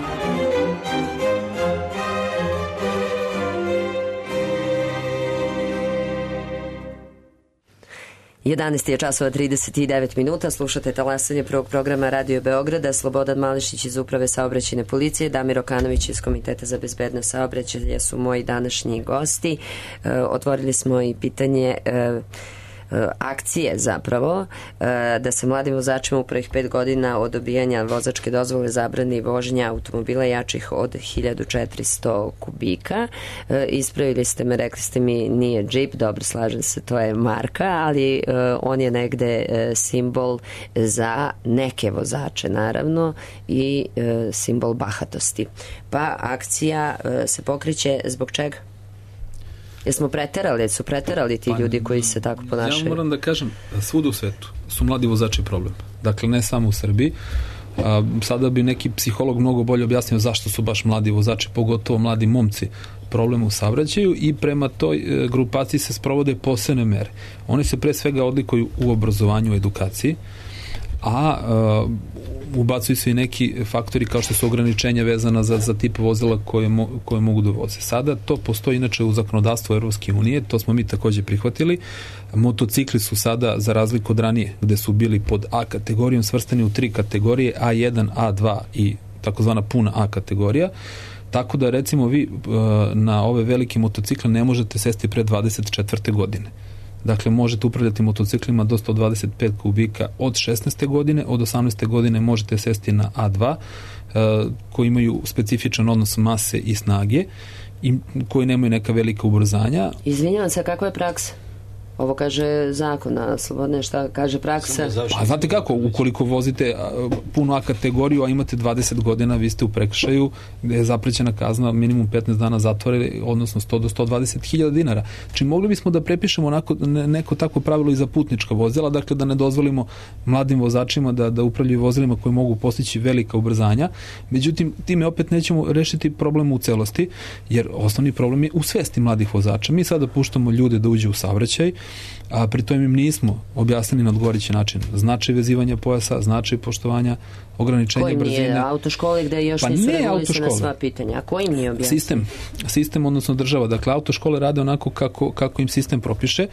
[SPEAKER 1] jedanaest je časova trideset devet minuta, slušate talasanje prvog programa Radio Beograda. Slobodan Malešić iz Uprave saobraćajne policije, Damir Okanović iz Komiteta za bezbednost saobraćaja su moji današnji gosti. E, otvorili smo i pitanje e, akcije zapravo da se mladim vozačima u prvih pet godina od dobijanja vozačke dozvole zabrani vožnja automobila jačih od hiljadu četiristo kubika. Ispravili ste me, rekli ste mi nije džip, dobro, slažem se, to je marka, ali on je negde simbol za neke vozače naravno i simbol bahatosti. Pa akcija se pokreće zbog čega? Jesmo preterali, su preterali ti ljudi koji se tako ponašaju?
[SPEAKER 4] Ja moram da kažem, svuda u svetu su mladi vozači problem. Dakle, ne samo u Srbiji. A, sada bi neki psiholog mnogo bolje objasnio zašto su baš mladi vozači, pogotovo mladi momci, problem u saobraćaju, i prema toj e, grupaciji se sprovode posebne mere. Oni se pre svega odlikuju u obrazovanju, u edukaciji, a e, ubacuju se i neki faktori kao što su ograničenja vezana za, za tip vozila koje, mo, koje mogu da voze. Sada to postoji inače u zakonodavstvu Evropske unije, to smo mi takođe prihvatili. Motocikli su sada, za razliku od ranije, gde su bili pod A kategorijom, svrstani u tri kategorije, A jedan, A dva i takozvana puna A kategorija. Tako da recimo vi na ove velike motocikle ne možete sesti pre dvadeset četvrte godine. Dakle, možete upravljati motociklima do sto dvadeset pet kubika od šesnaeste godine, od osamnaeste godine možete sesti na A dva, koji imaju specifičan odnos mase i snage i koji nemaju neka velika ubrzanja.
[SPEAKER 1] Izvinjavam se, kakva je praksa? Ovo kaže zakon, a Slobodne, šta kaže praksa?
[SPEAKER 4] Pa znate kako, ukoliko vozite a, puno A kategoriju, a imate dvadeset godina, vi ste u prekršaju gde je zaprećena kazna minimum petnaest dana zatvora, odnosno sto do sto dvadeset hiljada dinara. Znači mogli bismo da prepišemo onako, ne, neko takvo pravilo i za putnička vozila, dakle da ne dozvolimo mladim vozačima da, da upravljaju vozilima koji mogu postići velika ubrzanja. Međutim, time opet nećemo rešiti problem u celosti, jer osnovni problem je u svesti mladih vozača. Mi sada puštamo ljude da uđu u saobraćaj, a pri tom im nismo objasnili na odgovarajući način značaj vezivanja pojasa, značaj poštovanja ograničenja
[SPEAKER 1] kojim
[SPEAKER 4] brzine.
[SPEAKER 1] Kojim nije autoškole gde još
[SPEAKER 4] pa
[SPEAKER 1] nisu
[SPEAKER 4] ne
[SPEAKER 1] regulisana sva pitanja? A kojim nije objasnili?
[SPEAKER 4] Sistem, sistem, odnosno država. Dakle, autoškole rade onako kako, kako im sistem propiše.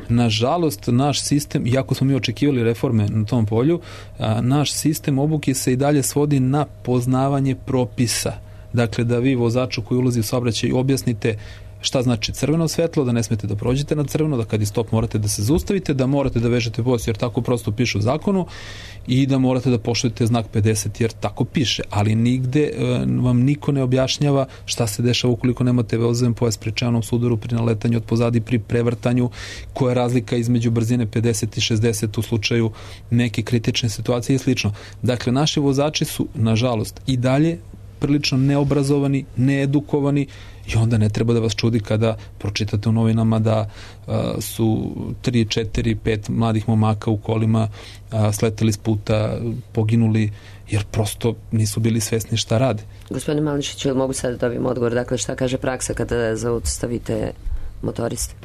[SPEAKER 4] Nažalost, naš sistem, iako smo mi očekivali reforme na tom polju, a, naš sistem obuke se i dalje svodi na poznavanje propisa. Dakle, da vi vozaču koji ulazi u saobraćaj objasnite šta znači crveno svetlo, da ne smete da prođete na crveno, da kad je stop morate da se zaustavite, da morate da vežete pojas jer tako prosto piše u zakonu i da morate da poštujete znak pedeset jer tako piše, ali nigde e, vam niko ne objašnjava šta se dešava ukoliko nemate vezoven pojas pri čelnom sudaru, pri naletanju od pozadi, pri prevrtanju, koja je razlika između brzine pedeset i šezdeset u slučaju neke kritične situacije i slično. Dakle, naši vozači su, nažalost, i dalje prilično neobrazovani, needukovani i onda ne treba da vas čudi kada pročitate u novinama da a, su tri, četiri, pet mladih momaka u kolima a, sleteli s puta, poginuli jer prosto nisu bili svesni šta rade.
[SPEAKER 1] Gospodine Mališić, ili mogu sad da dobijem odgovor, dakle šta kaže praksa kada zaustavite motoriste?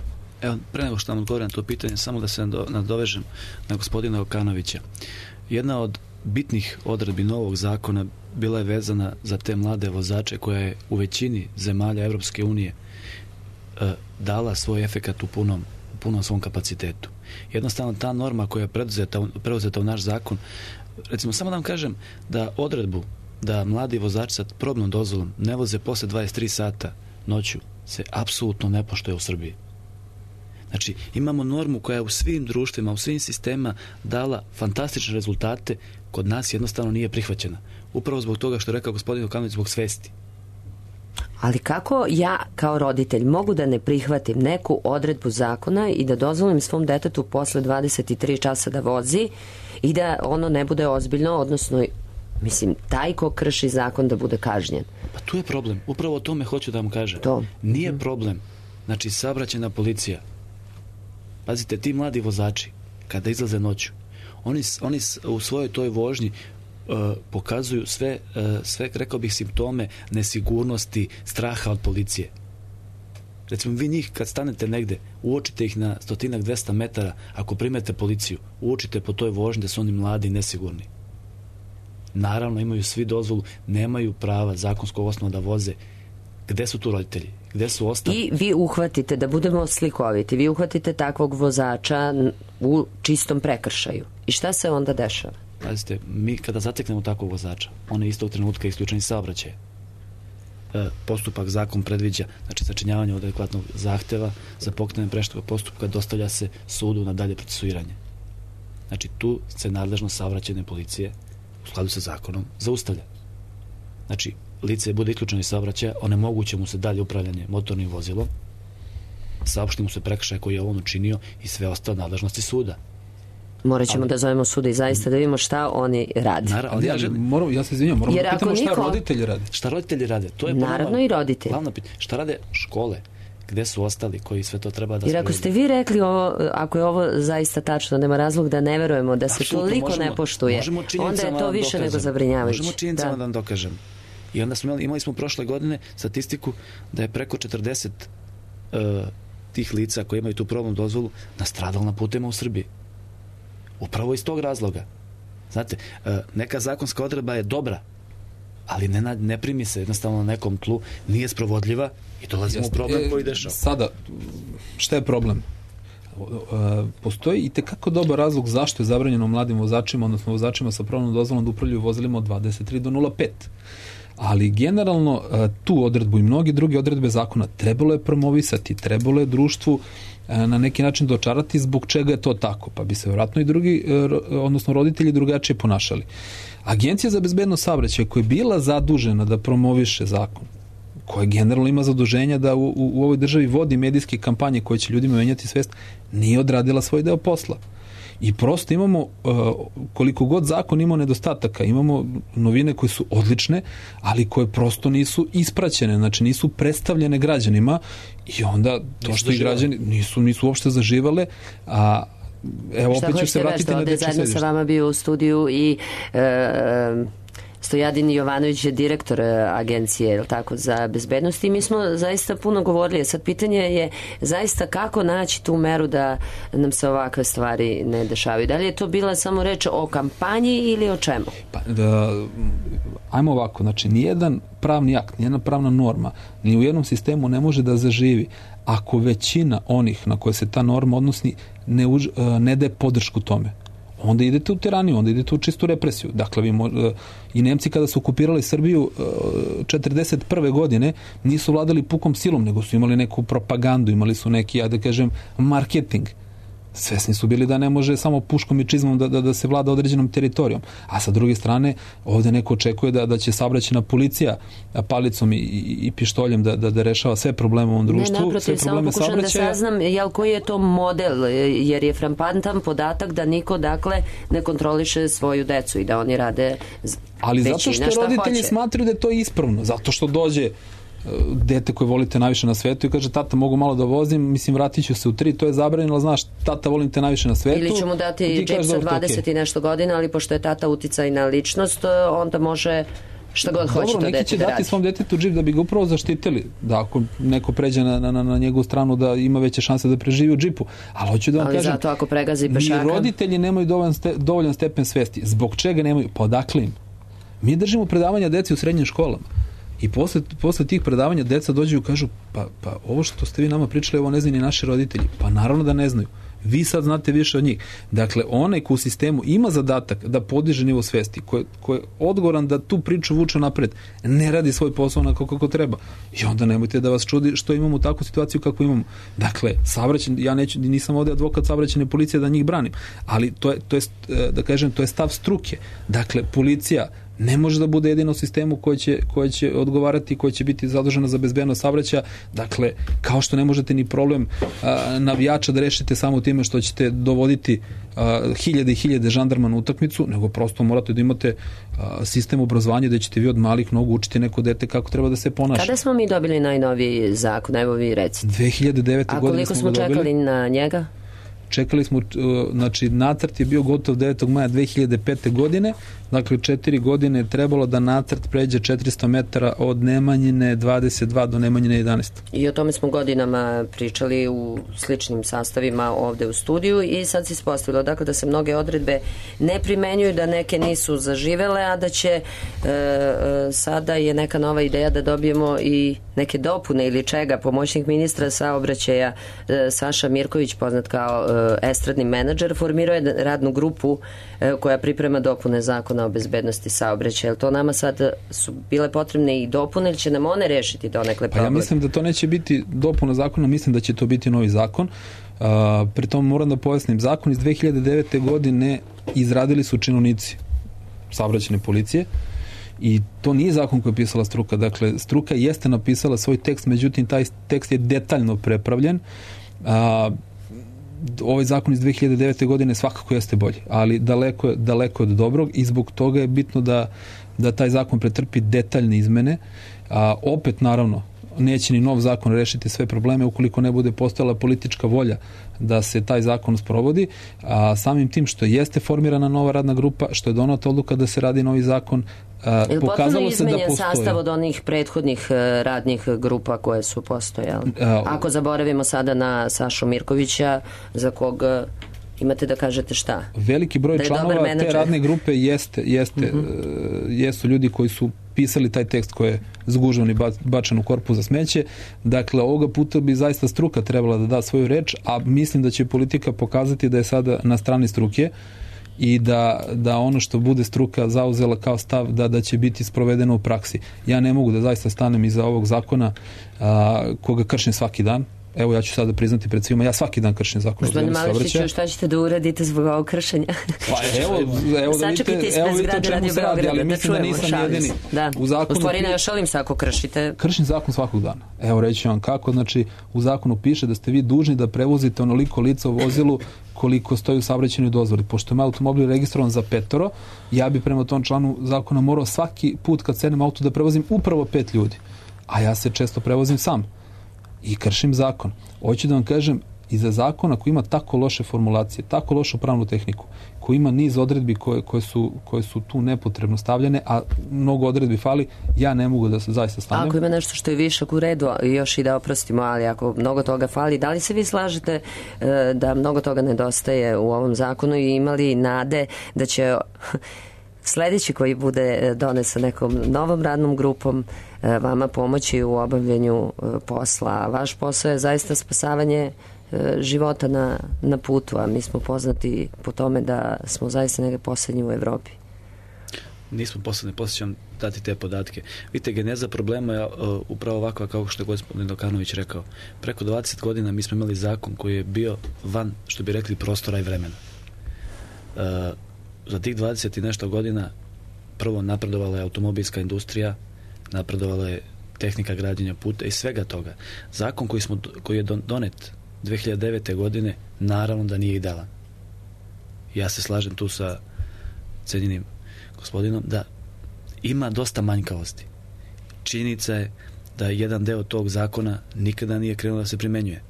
[SPEAKER 3] Evo, pre nego što nam odgovorim na to pitanje, samo da se nadovežem na gospodina Okanovića. Jedna od bitnih odredbi novog zakona bila je vezana za te mlade vozače koja je u većini zemalja Evropske unije e, dala svoj efekat u punom, u punom svom kapacitetu. Jednostavno ta norma koja je preuzeta, preuzeta u naš zakon, recimo samo da vam kažem da odredbu da mladi vozači sa probnom dozvolom ne voze posle dvadeset tri sata noću se apsolutno ne poštuje u Srbiji. Znači, imamo normu koja je u svim društvima, u svim sistemima dala fantastične rezultate, kod nas jednostavno nije prihvaćena. Upravo zbog toga što je rekao gospodin Okanović, zbog svesti.
[SPEAKER 1] Ali kako ja kao roditelj mogu da ne prihvatim neku odredbu zakona i da dozvolim svom detetu posle dvadeset tri časa da vozi i da ono ne bude ozbiljno, odnosno, mislim, taj ko krši zakon da bude kažnjen?
[SPEAKER 3] Pa tu je problem. Upravo o tome hoću da vam kažem.
[SPEAKER 1] To.
[SPEAKER 3] Nije problem. Znači, saobraćajna policija. Pazite, ti mladi vozači, kada izlaze noću, oni, oni u svojoj toj vožnji uh, pokazuju sve, uh, sve, rekao bih, simptome nesigurnosti, straha od policije. Recimo, vi njih kad stanete negde, uočite ih na stotinak, dvesta metara, ako primete policiju, uočite po toj vožnji da su oni mladi i nesigurni. Naravno, imaju svi dozvolu, nemaju prava zakonskog osnova da voze. Gde su tu roditelji? Gde su ostali?
[SPEAKER 1] I vi uhvatite, da budemo slikoviti, vi uhvatite takvog vozača u čistom prekršaju. I šta se onda dešava?
[SPEAKER 3] Pazite, mi kada zateknemo takvog vozača, on je istog trenutka isključen iz saobraćaja. E, postupak zakon predviđa, znači sačinjavanje adekvatnog zahteva za pokretanje prekršajnog postupka dostavlja se sudu na dalje procesuiranje. Znači tu se nadležnost saobraćajne policije u skladu sa zakonom zaustavlja. Znači, lice bude isključeno iz saobraćaja, onemoguće mu se dalje upravljanje motornim vozilom, saopšti mu se prekršaj koji je on učinio i sve ostale nadležnosti suda.
[SPEAKER 1] Morat ćemo
[SPEAKER 3] ali,
[SPEAKER 1] da zovemo suda i zaista da vidimo šta oni rade.
[SPEAKER 3] Naravno,
[SPEAKER 4] ali ja, želim, moram, ja se izvinjam, moramo da pitamo šta niko... roditelji rade.
[SPEAKER 3] Šta roditelji rade? To je
[SPEAKER 1] naravno i roditelji.
[SPEAKER 3] Glavno pitanje. Šta rade škole? Gde su ostali koji sve to treba da...
[SPEAKER 1] Jer ako ste vi rekli ovo, ako je ovo zaista tačno, nema razlog da ne verujemo da se absolutno, toliko možemo, ne poštuje, onda je to više nego zabrinjavajuće.
[SPEAKER 3] Možemo činjenicama da. da vam dokažem. I onda smo imali, imali smo prošle godine statistiku da je preko četrdeset uh, tih lica koji imaju tu probnu dozvolu nastradalo na putevima u Srbiji. Upravo iz tog razloga. Znate, uh, neka zakonska odredba je dobra, ali ne, ne primi se jednostavno na nekom tlu, nije sprovodljiva i dolazimo u problem koji dešava.
[SPEAKER 4] Sada, šta je problem? Postoji i tekako dobar razlog zašto je zabranjeno mladim vozačima, odnosno vozačima sa probnom dozvolom da upravljaju vozilima od dvadeset tri do nula pet. Ali generalno tu odredbu i mnogi druge odredbe zakona trebalo je promovisati, trebalo je društvu na neki način dočarati zbog čega je to tako, pa bi se vjerojatno i drugi, odnosno roditelji drugačije ponašali. Agencija za bezbednost saobraćaja koja je bila zadužena da promoviše zakon, koja generalno ima zaduženja da u, u, u ovoj državi vodi medijske kampanje koje će ljudima menjati svest, nije odradila svoj deo posla. I prosto imamo, koliko god zakon imao nedostataka, imamo novine koje su odlične, ali koje prosto nisu ispraćene, znači nisu predstavljene građanima i onda to što i građani nisu, nisu uopšte zaživale, a evo opet ću se vratiti na dečje sedište.
[SPEAKER 1] Zajedno sa vama bio u studiju i e, Stojadin Jovanović je direktor agencije, je li tako, za bezbednost i mi smo zaista puno govorili. Sad pitanje je zaista kako naći tu meru da nam se ovakve stvari ne dešavaju. Da li je to bila samo reč o kampanji ili o čemu?
[SPEAKER 4] Pa, da, ajmo ovako, znači nijedan pravni akt, nijedna pravna norma ni u jednom sistemu ne može da zaživi ako većina onih na koje se ta norma odnosi ne, už, ne daje podršku tome. Onda idete u tiraniju, onda idete u čistu represiju. Dakle, vi mo- i Nemci kada su okupirali Srbiju četrdeset prve godine nisu vladali pukom silom, nego su imali neku propagandu, imali su neki, ja da kažem, marketing. Svesni su bili da ne može samo puškom i čizmom da, da, da se vlada određenom teritorijom. A sa druge strane, ovde neko očekuje da, da će saobraćajna policija palicom i, i, i pištoljem da, da, da rešava sve probleme u ovom društvu.
[SPEAKER 1] Ne, naprotiv, samo pokušam da saznam, jel, koji je to model, jer je frapanttan podatak da niko, dakle, ne kontroliše svoju decu i da oni rade
[SPEAKER 4] ali
[SPEAKER 1] većina
[SPEAKER 4] zato što roditelji
[SPEAKER 1] hoće.
[SPEAKER 4] Smatraju da je to ispravno, zato što dođe dete koje volite najviše na svetu i kaže tata mogu malo da vozim, mislim vratit ću se u tri, to je zabranjeno, ali znaš tata volim te najviše na svetu.
[SPEAKER 1] Ili ću mu dati džip sa dvadeset okay. i nešto godina, ali pošto je tata uticajna ličnost, onda može šta god hoće to dete da radi.
[SPEAKER 4] Neki će dati svom detetu džip da bi ga upravo zaštitili, da ako neko pređe na, na, na njegovu stranu da ima veće šanse da preživi u džipu. Ali hoću da vam
[SPEAKER 1] ali
[SPEAKER 4] kažem,
[SPEAKER 1] zato ako pregazi pešaka,
[SPEAKER 4] ni roditelji nemaju dovoljan, ste, dovoljan stepen svesti. Zbog čega nemaju? Pa odakle im? Mi držimo predavanja deci u srednjim školama. I posle, posle tih predavanja deca dođu i kažu pa, pa ovo što ste vi nama pričali, ovo ne znaju ni naši roditelji. Pa naravno da ne znaju. Vi sad znate više od njih. Dakle, onaj ko u sistemu ima zadatak da podiže nivo svesti, ko je, ko je odgovoran da tu priču vuče napred, ne radi svoj posao onako kako treba. I onda nemojte da vas čudi što imamo takvu situaciju kako imamo. Dakle, saobraćaj, ja neću, nisam ovde advokat saobraćajne policije da njih branim, ali to je, to je, da kažem, to je stav struke. Dakle, policija ne može da bude jedino u sistemu koji će, koji će odgovarati, koji će biti zadužena za bezbednost saobraćaja. Dakle, kao što ne možete ni problem a, navijača da rešite samo time što ćete dovoditi a, hiljade i hiljade žandarma na utakmicu, nego prosto morate da imate a, sistem obrazovanja da ćete vi od malih nogu učiti neko dete kako treba da se ponaša.
[SPEAKER 1] Kada smo mi dobili najnoviji zakon? Evo vi recite.
[SPEAKER 4] dve hiljade devete
[SPEAKER 1] A
[SPEAKER 4] godine
[SPEAKER 1] koliko smo čekali na njega?
[SPEAKER 4] Čekali smo, znači nacrt je bio gotov devetog maja dve hiljade pete godine, dakle četiri godine je trebalo da nacrt pređe četiristo metara od Nemanjine dvadeset dva do Nemanjine jedanaest.
[SPEAKER 1] I o tome smo godinama pričali u sličnim sastavima ovde u studiju i sad se ispostavilo dakle da se mnoge odredbe ne primenjuju, da neke nisu zaživele, a da će e, e, sada je neka nova ideja da dobijemo i neke dopune ili čega. Pomoćnik ministra saobraćaja e, Saša Mirković, poznat kao e, estradni menadžer, formirao je radnu grupu e, koja priprema dopune zakona o bezbednosti saobraćaja. To nama sad su bile potrebne i dopune ili će nam one rešiti donekle problem?
[SPEAKER 4] Pa ja mislim da to neće biti dopuna zakona, mislim da će to biti novi zakon. Uh, pri tom moram da pojasnim, zakon iz dve hiljade devete godine izradili su činovnici saobraćajne policije i to nije zakon koji je pisala struka. Dakle, struka jeste napisala svoj tekst, međutim taj tekst je detaljno prepravljen. Uh, ovaj zakon iz dve hiljade devete godine svakako jeste bolji, ali daleko je, daleko od dobrog i zbog toga je bitno da, da taj zakon pretrpi detaljne izmene. A, opet, naravno, neće ni nov zakon rešiti sve probleme ukoliko ne bude postojala politička volja da se taj zakon sprovodi, a samim tim što jeste formirana nova radna grupa, što je donata odluka da se radi novi zakon, a, pokazalo se da postoji.
[SPEAKER 1] Sastav od onih prethodnih radnih grupa koje su postojale. A, Ako zaboravimo sada na Sašu Mirkovića, za koga imate da kažete šta?
[SPEAKER 4] Veliki broj članova te radne grupe jeste, jeste, mm-hmm. jesu ljudi koji su pisali taj tekst koji je zgužvan i bačen u korpu za smeće. Dakle, ovoga puta bi zaista struka trebala da da svoju reč, a mislim da će politika pokazati da je sada na strani struke i da, da ono što bude struka zauzela kao stav da, da će biti sprovedeno u praksi. Ja ne mogu da zaista stanem iza ovog zakona a, koga kršim svaki dan. evo ja ću sada priznati pred svima, ja svaki dan kršim zakon o
[SPEAKER 1] Gospodine
[SPEAKER 4] bezbednosti saobraćaja.
[SPEAKER 1] Malešiću, šta ćete da uradite zbog ovog kršenja?
[SPEAKER 4] Pa evo, evo da vidite, evo vidite o čemu se radi, ali mislim da nisam jedini.
[SPEAKER 1] Da.
[SPEAKER 4] U zakonu,
[SPEAKER 1] u stvari ne šalim se ako kršite.
[SPEAKER 4] Kršim zakon svakog dana. Evo reći ću vam kako, znači u zakonu piše da ste vi dužni da prevozite onoliko lica u vozilu koliko stoji u saobraćajnoj dozvoli. Pošto je automobil registrovan za petoro, ja bi prema tom članu zakona morao svaki put kad sednem auto da prevozim upravo pet ljudi. A ja se često prevozim sam. I kršim zakon. Hoću da vam kažem, iza zakona koji ima tako loše formulacije, tako lošu pravnu tehniku, koji ima niz odredbi koje, koje, su, koje su tu nepotrebno stavljene, a mnogo odredbi fali, ja ne mogu da se zaista stavljam.
[SPEAKER 1] Ako ima nešto što je višak u redu, još i da oprostimo, ali ako mnogo toga fali, da li se vi slažete e, da mnogo toga nedostaje u ovom zakonu i imali nade da će sledeći koji bude donesen nekom novom radnom grupom vama pomoći u obavljanju posla? Vaš posao je zaista spasavanje života na, na putu, a mi smo poznati po tome da smo zaista negde poslednji u Evropi.
[SPEAKER 3] Nismo poslednji, poslije ću vam dati te podatke. Vidite, geneza problema je uh, upravo ovakva kao što je gospodin Dokanović rekao. Preko dvadeset godina mi smo imali zakon koji je bio van, što bi rekli, prostora i vremena. Uh, za tih dvadeset i nešto godina prvo napredovala je automobilska industrija, napredovala je tehnika građenja puta i svega toga. Zakon koji, smo, koji je donet dve hiljade devete. godine naravno da nije idealan. Ja se slažem tu sa cenjenim gospodinom da ima dosta manjkavosti. Činjenica je da jedan deo tog zakona nikada nije krenuo da se primenjuje.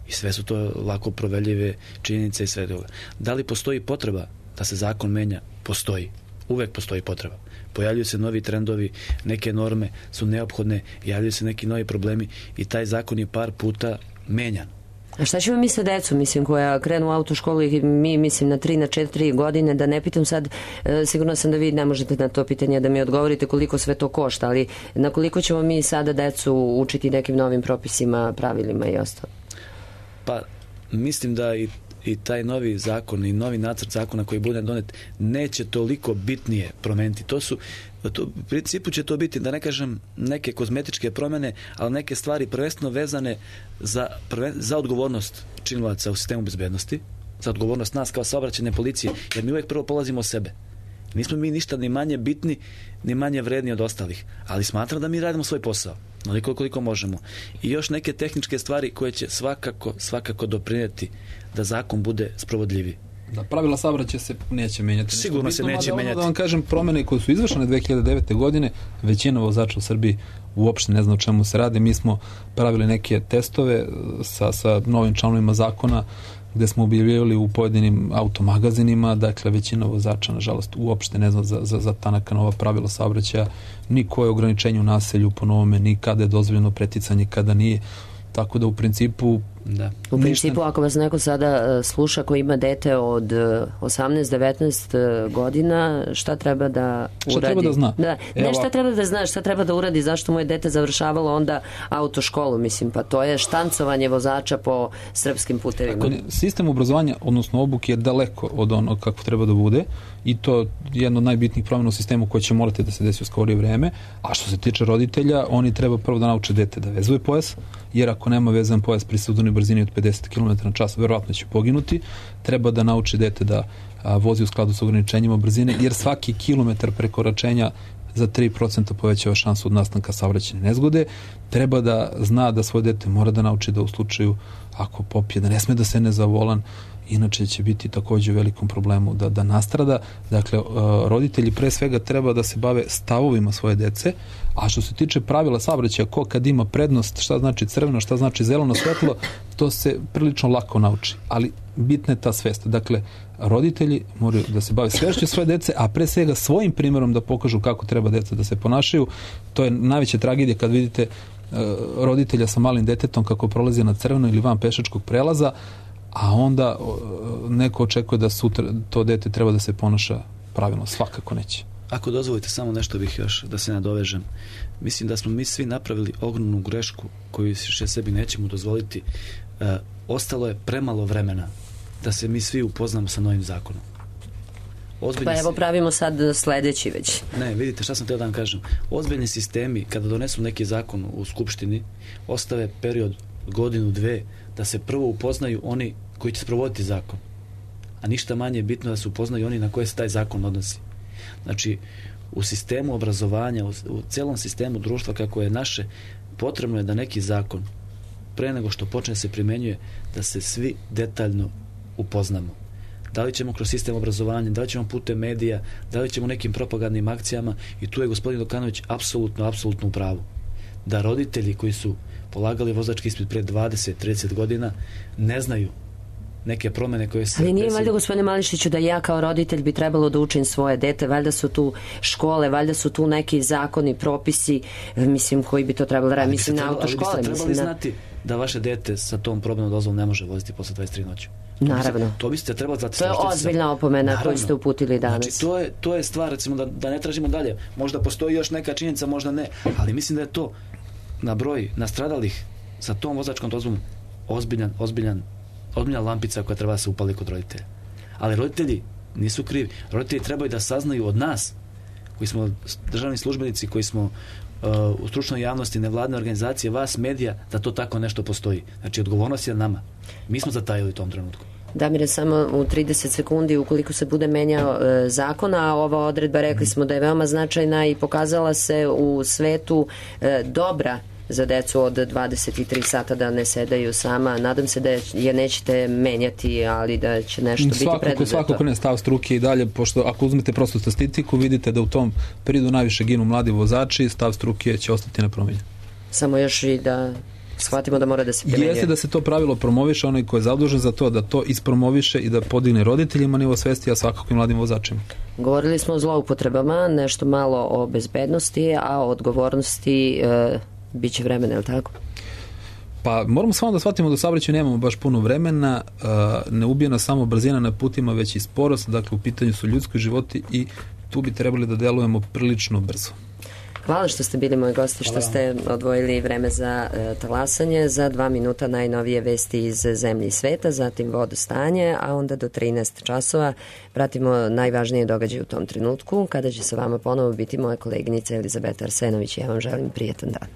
[SPEAKER 3] I sve su to lako proveljive činjenice i sve toga. Da li postoji potreba da se zakon menja? Postoji. Uvek postoji potreba. Pojavljuju se novi trendovi, neke norme su neophodne, javljaju se neki novi problemi i taj zakon je par puta menjan.
[SPEAKER 1] A šta ćemo mi sa decom, mislim, koja krenu u autoškolu i mi, mislim, na tri, na četiri godine, da ne pitam sad, e, sigurno sam da vi ne možete na to pitanje da mi odgovorite koliko sve to košta, ali na koliko ćemo mi sada decu učiti nekim novim propisima, pravilima i ostalo?
[SPEAKER 3] Pa, mislim da i i taj novi zakon i novi nacrt zakona koji bude donet neće toliko bitnije promeniti. To su, to, u principu će to biti, da ne kažem neke kozmetičke promene, ali neke stvari prvenstveno vezane za, prven, za odgovornost činilaca u sistemu bezbednosti, za odgovornost nas kao saobraćajne policije, jer mi uvijek prvo polazimo od sebe. Nismo mi ništa ni manje bitni, ni manje vredni od ostalih, ali smatram da mi radimo svoj posao, onoliko koliko možemo. I još neke tehničke stvari koje će svakako, svakako doprinijeti da zakon bude sprovodljiviji.
[SPEAKER 4] Da, pravila saobraćaja se neće menjati.
[SPEAKER 3] Sigurno se neće menjati.
[SPEAKER 4] Da vam kažem, promene koje su izvršene dve hiljade devete. godine, većina vozača u Srbiji uopšte ne zna o čemu se radi. Mi smo pravili neke testove sa, sa novim članovima zakona gde smo objavljivali u pojedinim automagazinima, dakle većina vozača nažalost uopšte ne zna za, za, za ta neka nova pravila saobraćaja, ni koje ograničenje u naselju po novome, ni kada je dozvoljeno preticanje, kada nije. Tako da u principu
[SPEAKER 3] da.
[SPEAKER 1] U principu ako vas neko sada sluša ko ima dete od osamnaest devetnaest godina, šta treba da uradi?
[SPEAKER 4] Šta treba da zna?
[SPEAKER 1] Da. Ne, šta treba da zna, šta treba da uradi, zašto moje dete završavalo onda autoškolu, mislim, pa to je štancovanje vozača po srpskim putevima.
[SPEAKER 4] Tako, sistem obrazovanja, odnosno obuke je daleko od onog kako treba da bude i to je jedno od najbitnijih promjena u sistemu koje će morati da se desi u skorije vreme, a što se tiče roditelja, oni treba prvo da nauče dete da vezuje pojas, jer ako nema vezan pojas pri sudovnoj brzini od pedeset kilometara na čas, verovatno će poginuti. Treba da nauči dete da a, vozi u skladu sa ograničenjima brzine, jer svaki kilometar prekoračenja za tri procenta povećava šansu od nastanka saobraćajne nezgode. Treba da zna da svoje dete mora da nauči da u slučaju ako popije, da ne sme da se ne za volan, inače će biti takođe u velikom problemu da, da nastrada. Dakle, roditelji pre svega treba da se bave stavovima svoje dece, a što se tiče pravila saobraćaja, ko kad ima prednost, šta znači crveno, šta znači zeleno svetlo, to se prilično lako nauči, ali bitna je ta svest. Dakle, roditelji moraju da se bave svešću svoje dece, a pre svega svojim primjerom da pokažu kako treba deca da se ponašaju. To je najveća tragedija kad vidite roditelja sa malim detetom kako prolazi na crveno ili van pešačkog prelaza, a onda neko očekuje da sutra to dete treba da se ponaša pravilno. Svakako neće.
[SPEAKER 3] Ako dozvolite, samo nešto bih još da se nadovežem. Mislim da smo mi svi napravili ogromnu grešku koju še sebi nećemo dozvoliti. E, ostalo je premalo vremena da se mi svi upoznamo sa novim zakonom. Ozbiljni
[SPEAKER 1] pa evo pravimo sad sledeći već.
[SPEAKER 3] Ne, vidite šta sam teo da vam kažem. Ozbiljni sistemi, kada donesu neki zakon u Skupštini, ostave period godinu, dve, da se prvo upoznaju oni koji će sprovoditi zakon. A ništa manje je bitno da se upoznaju oni na koje se taj zakon odnosi. Znači, u sistemu obrazovanja, u, u celom sistemu društva kako je naše, potrebno je da neki zakon, pre nego što počne se primenjuje, da se svi detaljno upoznamo. Da li ćemo kroz sistem obrazovanja, da li ćemo putem medija, da li ćemo nekim propagandnim akcijama, i tu je gospodin Dokanović apsolutno, apsolutno u pravu. Da roditelji koji su polagali vozački ispit pre dvadeset trideset godina ne znaju neke promene koje se...
[SPEAKER 1] Ali nije valjda, gospodine Mališiću, da ja kao roditelj bi trebalo da učim svoje dete, valjda su tu škole, valjda su tu neki zakoni, propisi, mislim, koji bi to trebalo raditi. Mislim, na autoškole.
[SPEAKER 3] Ali biste trebali
[SPEAKER 1] mislim,
[SPEAKER 3] znati da vaše dete sa tom probnom dozvolom ne može voziti posle dvadeset tri noći.
[SPEAKER 1] Naravno.
[SPEAKER 3] To biste trebali znati.
[SPEAKER 1] To je ozbiljna opomena koju ste uputili danas.
[SPEAKER 3] Znači, to je, to je stvar, recimo, da, da ne tražimo dalje. Možda postoji još neka činjenica, možda ne, ali mislim da je to na broj nastradalih sa tom vozačkom dozvolom ozbiljan, ozbiljan ozbiljna lampica koja treba da se upali kod roditelja. Ali roditelji nisu krivi. Roditelji trebaju da saznaju od nas, koji smo državni službenici, koji smo uh, u stručnoj javnosti, nevladne organizacije, vas, medija, da to tako nešto postoji. Znači, odgovornost je na nama. Mi smo zatajili u tom trenutku.
[SPEAKER 1] Damire, samo u trideset sekundi, ukoliko se bude menjao e, zakon, a ova odredba, rekli smo da je veoma značajna i pokazala se u svetu e, dobra za decu od dvadeset tri sata, da ne sedaju sama. Nadam se da je nećete menjati, ali da će nešto
[SPEAKER 4] svakako,
[SPEAKER 1] biti preduzeto.
[SPEAKER 4] Svakako ne, stav struke i dalje, pošto ako uzmete prostu statistiku, vidite da u tom periodu najviše ginu mladi vozači, stav struke će ostati nepromenjen.
[SPEAKER 1] Samo još i da shvatimo da mora da se primenjuje.
[SPEAKER 4] Jeste da se to pravilo promoviše, onaj ko je zadužen za to, da to ispromoviše i da podigne roditeljima nivo svesti, a svakako i mladim vozačima.
[SPEAKER 1] Govorili smo o zloupotrebama, nešto malo o bezbednosti, a o odgovornosti e, bit će vremena, je li tako?
[SPEAKER 4] Pa moramo samo da shvatimo da u saobraćaju nemamo baš puno vremena, ne ubije nas samo brzina na putima, već i sporost, dakle u pitanju su ljudski životi i tu bi trebali da delujemo prilično brzo.
[SPEAKER 1] Hvala što ste bili moji gosti, što ste odvojili vreme za e, talasanje, za dva minuta najnovije vesti iz zemlje i sveta, zatim vodostanje, a onda do trinaest časova pratimo najvažnije događaje u tom trenutku, kada će sa vama ponovo biti moja koleginica Elizabeta Arsenović. Ja vam želim prijetan dan.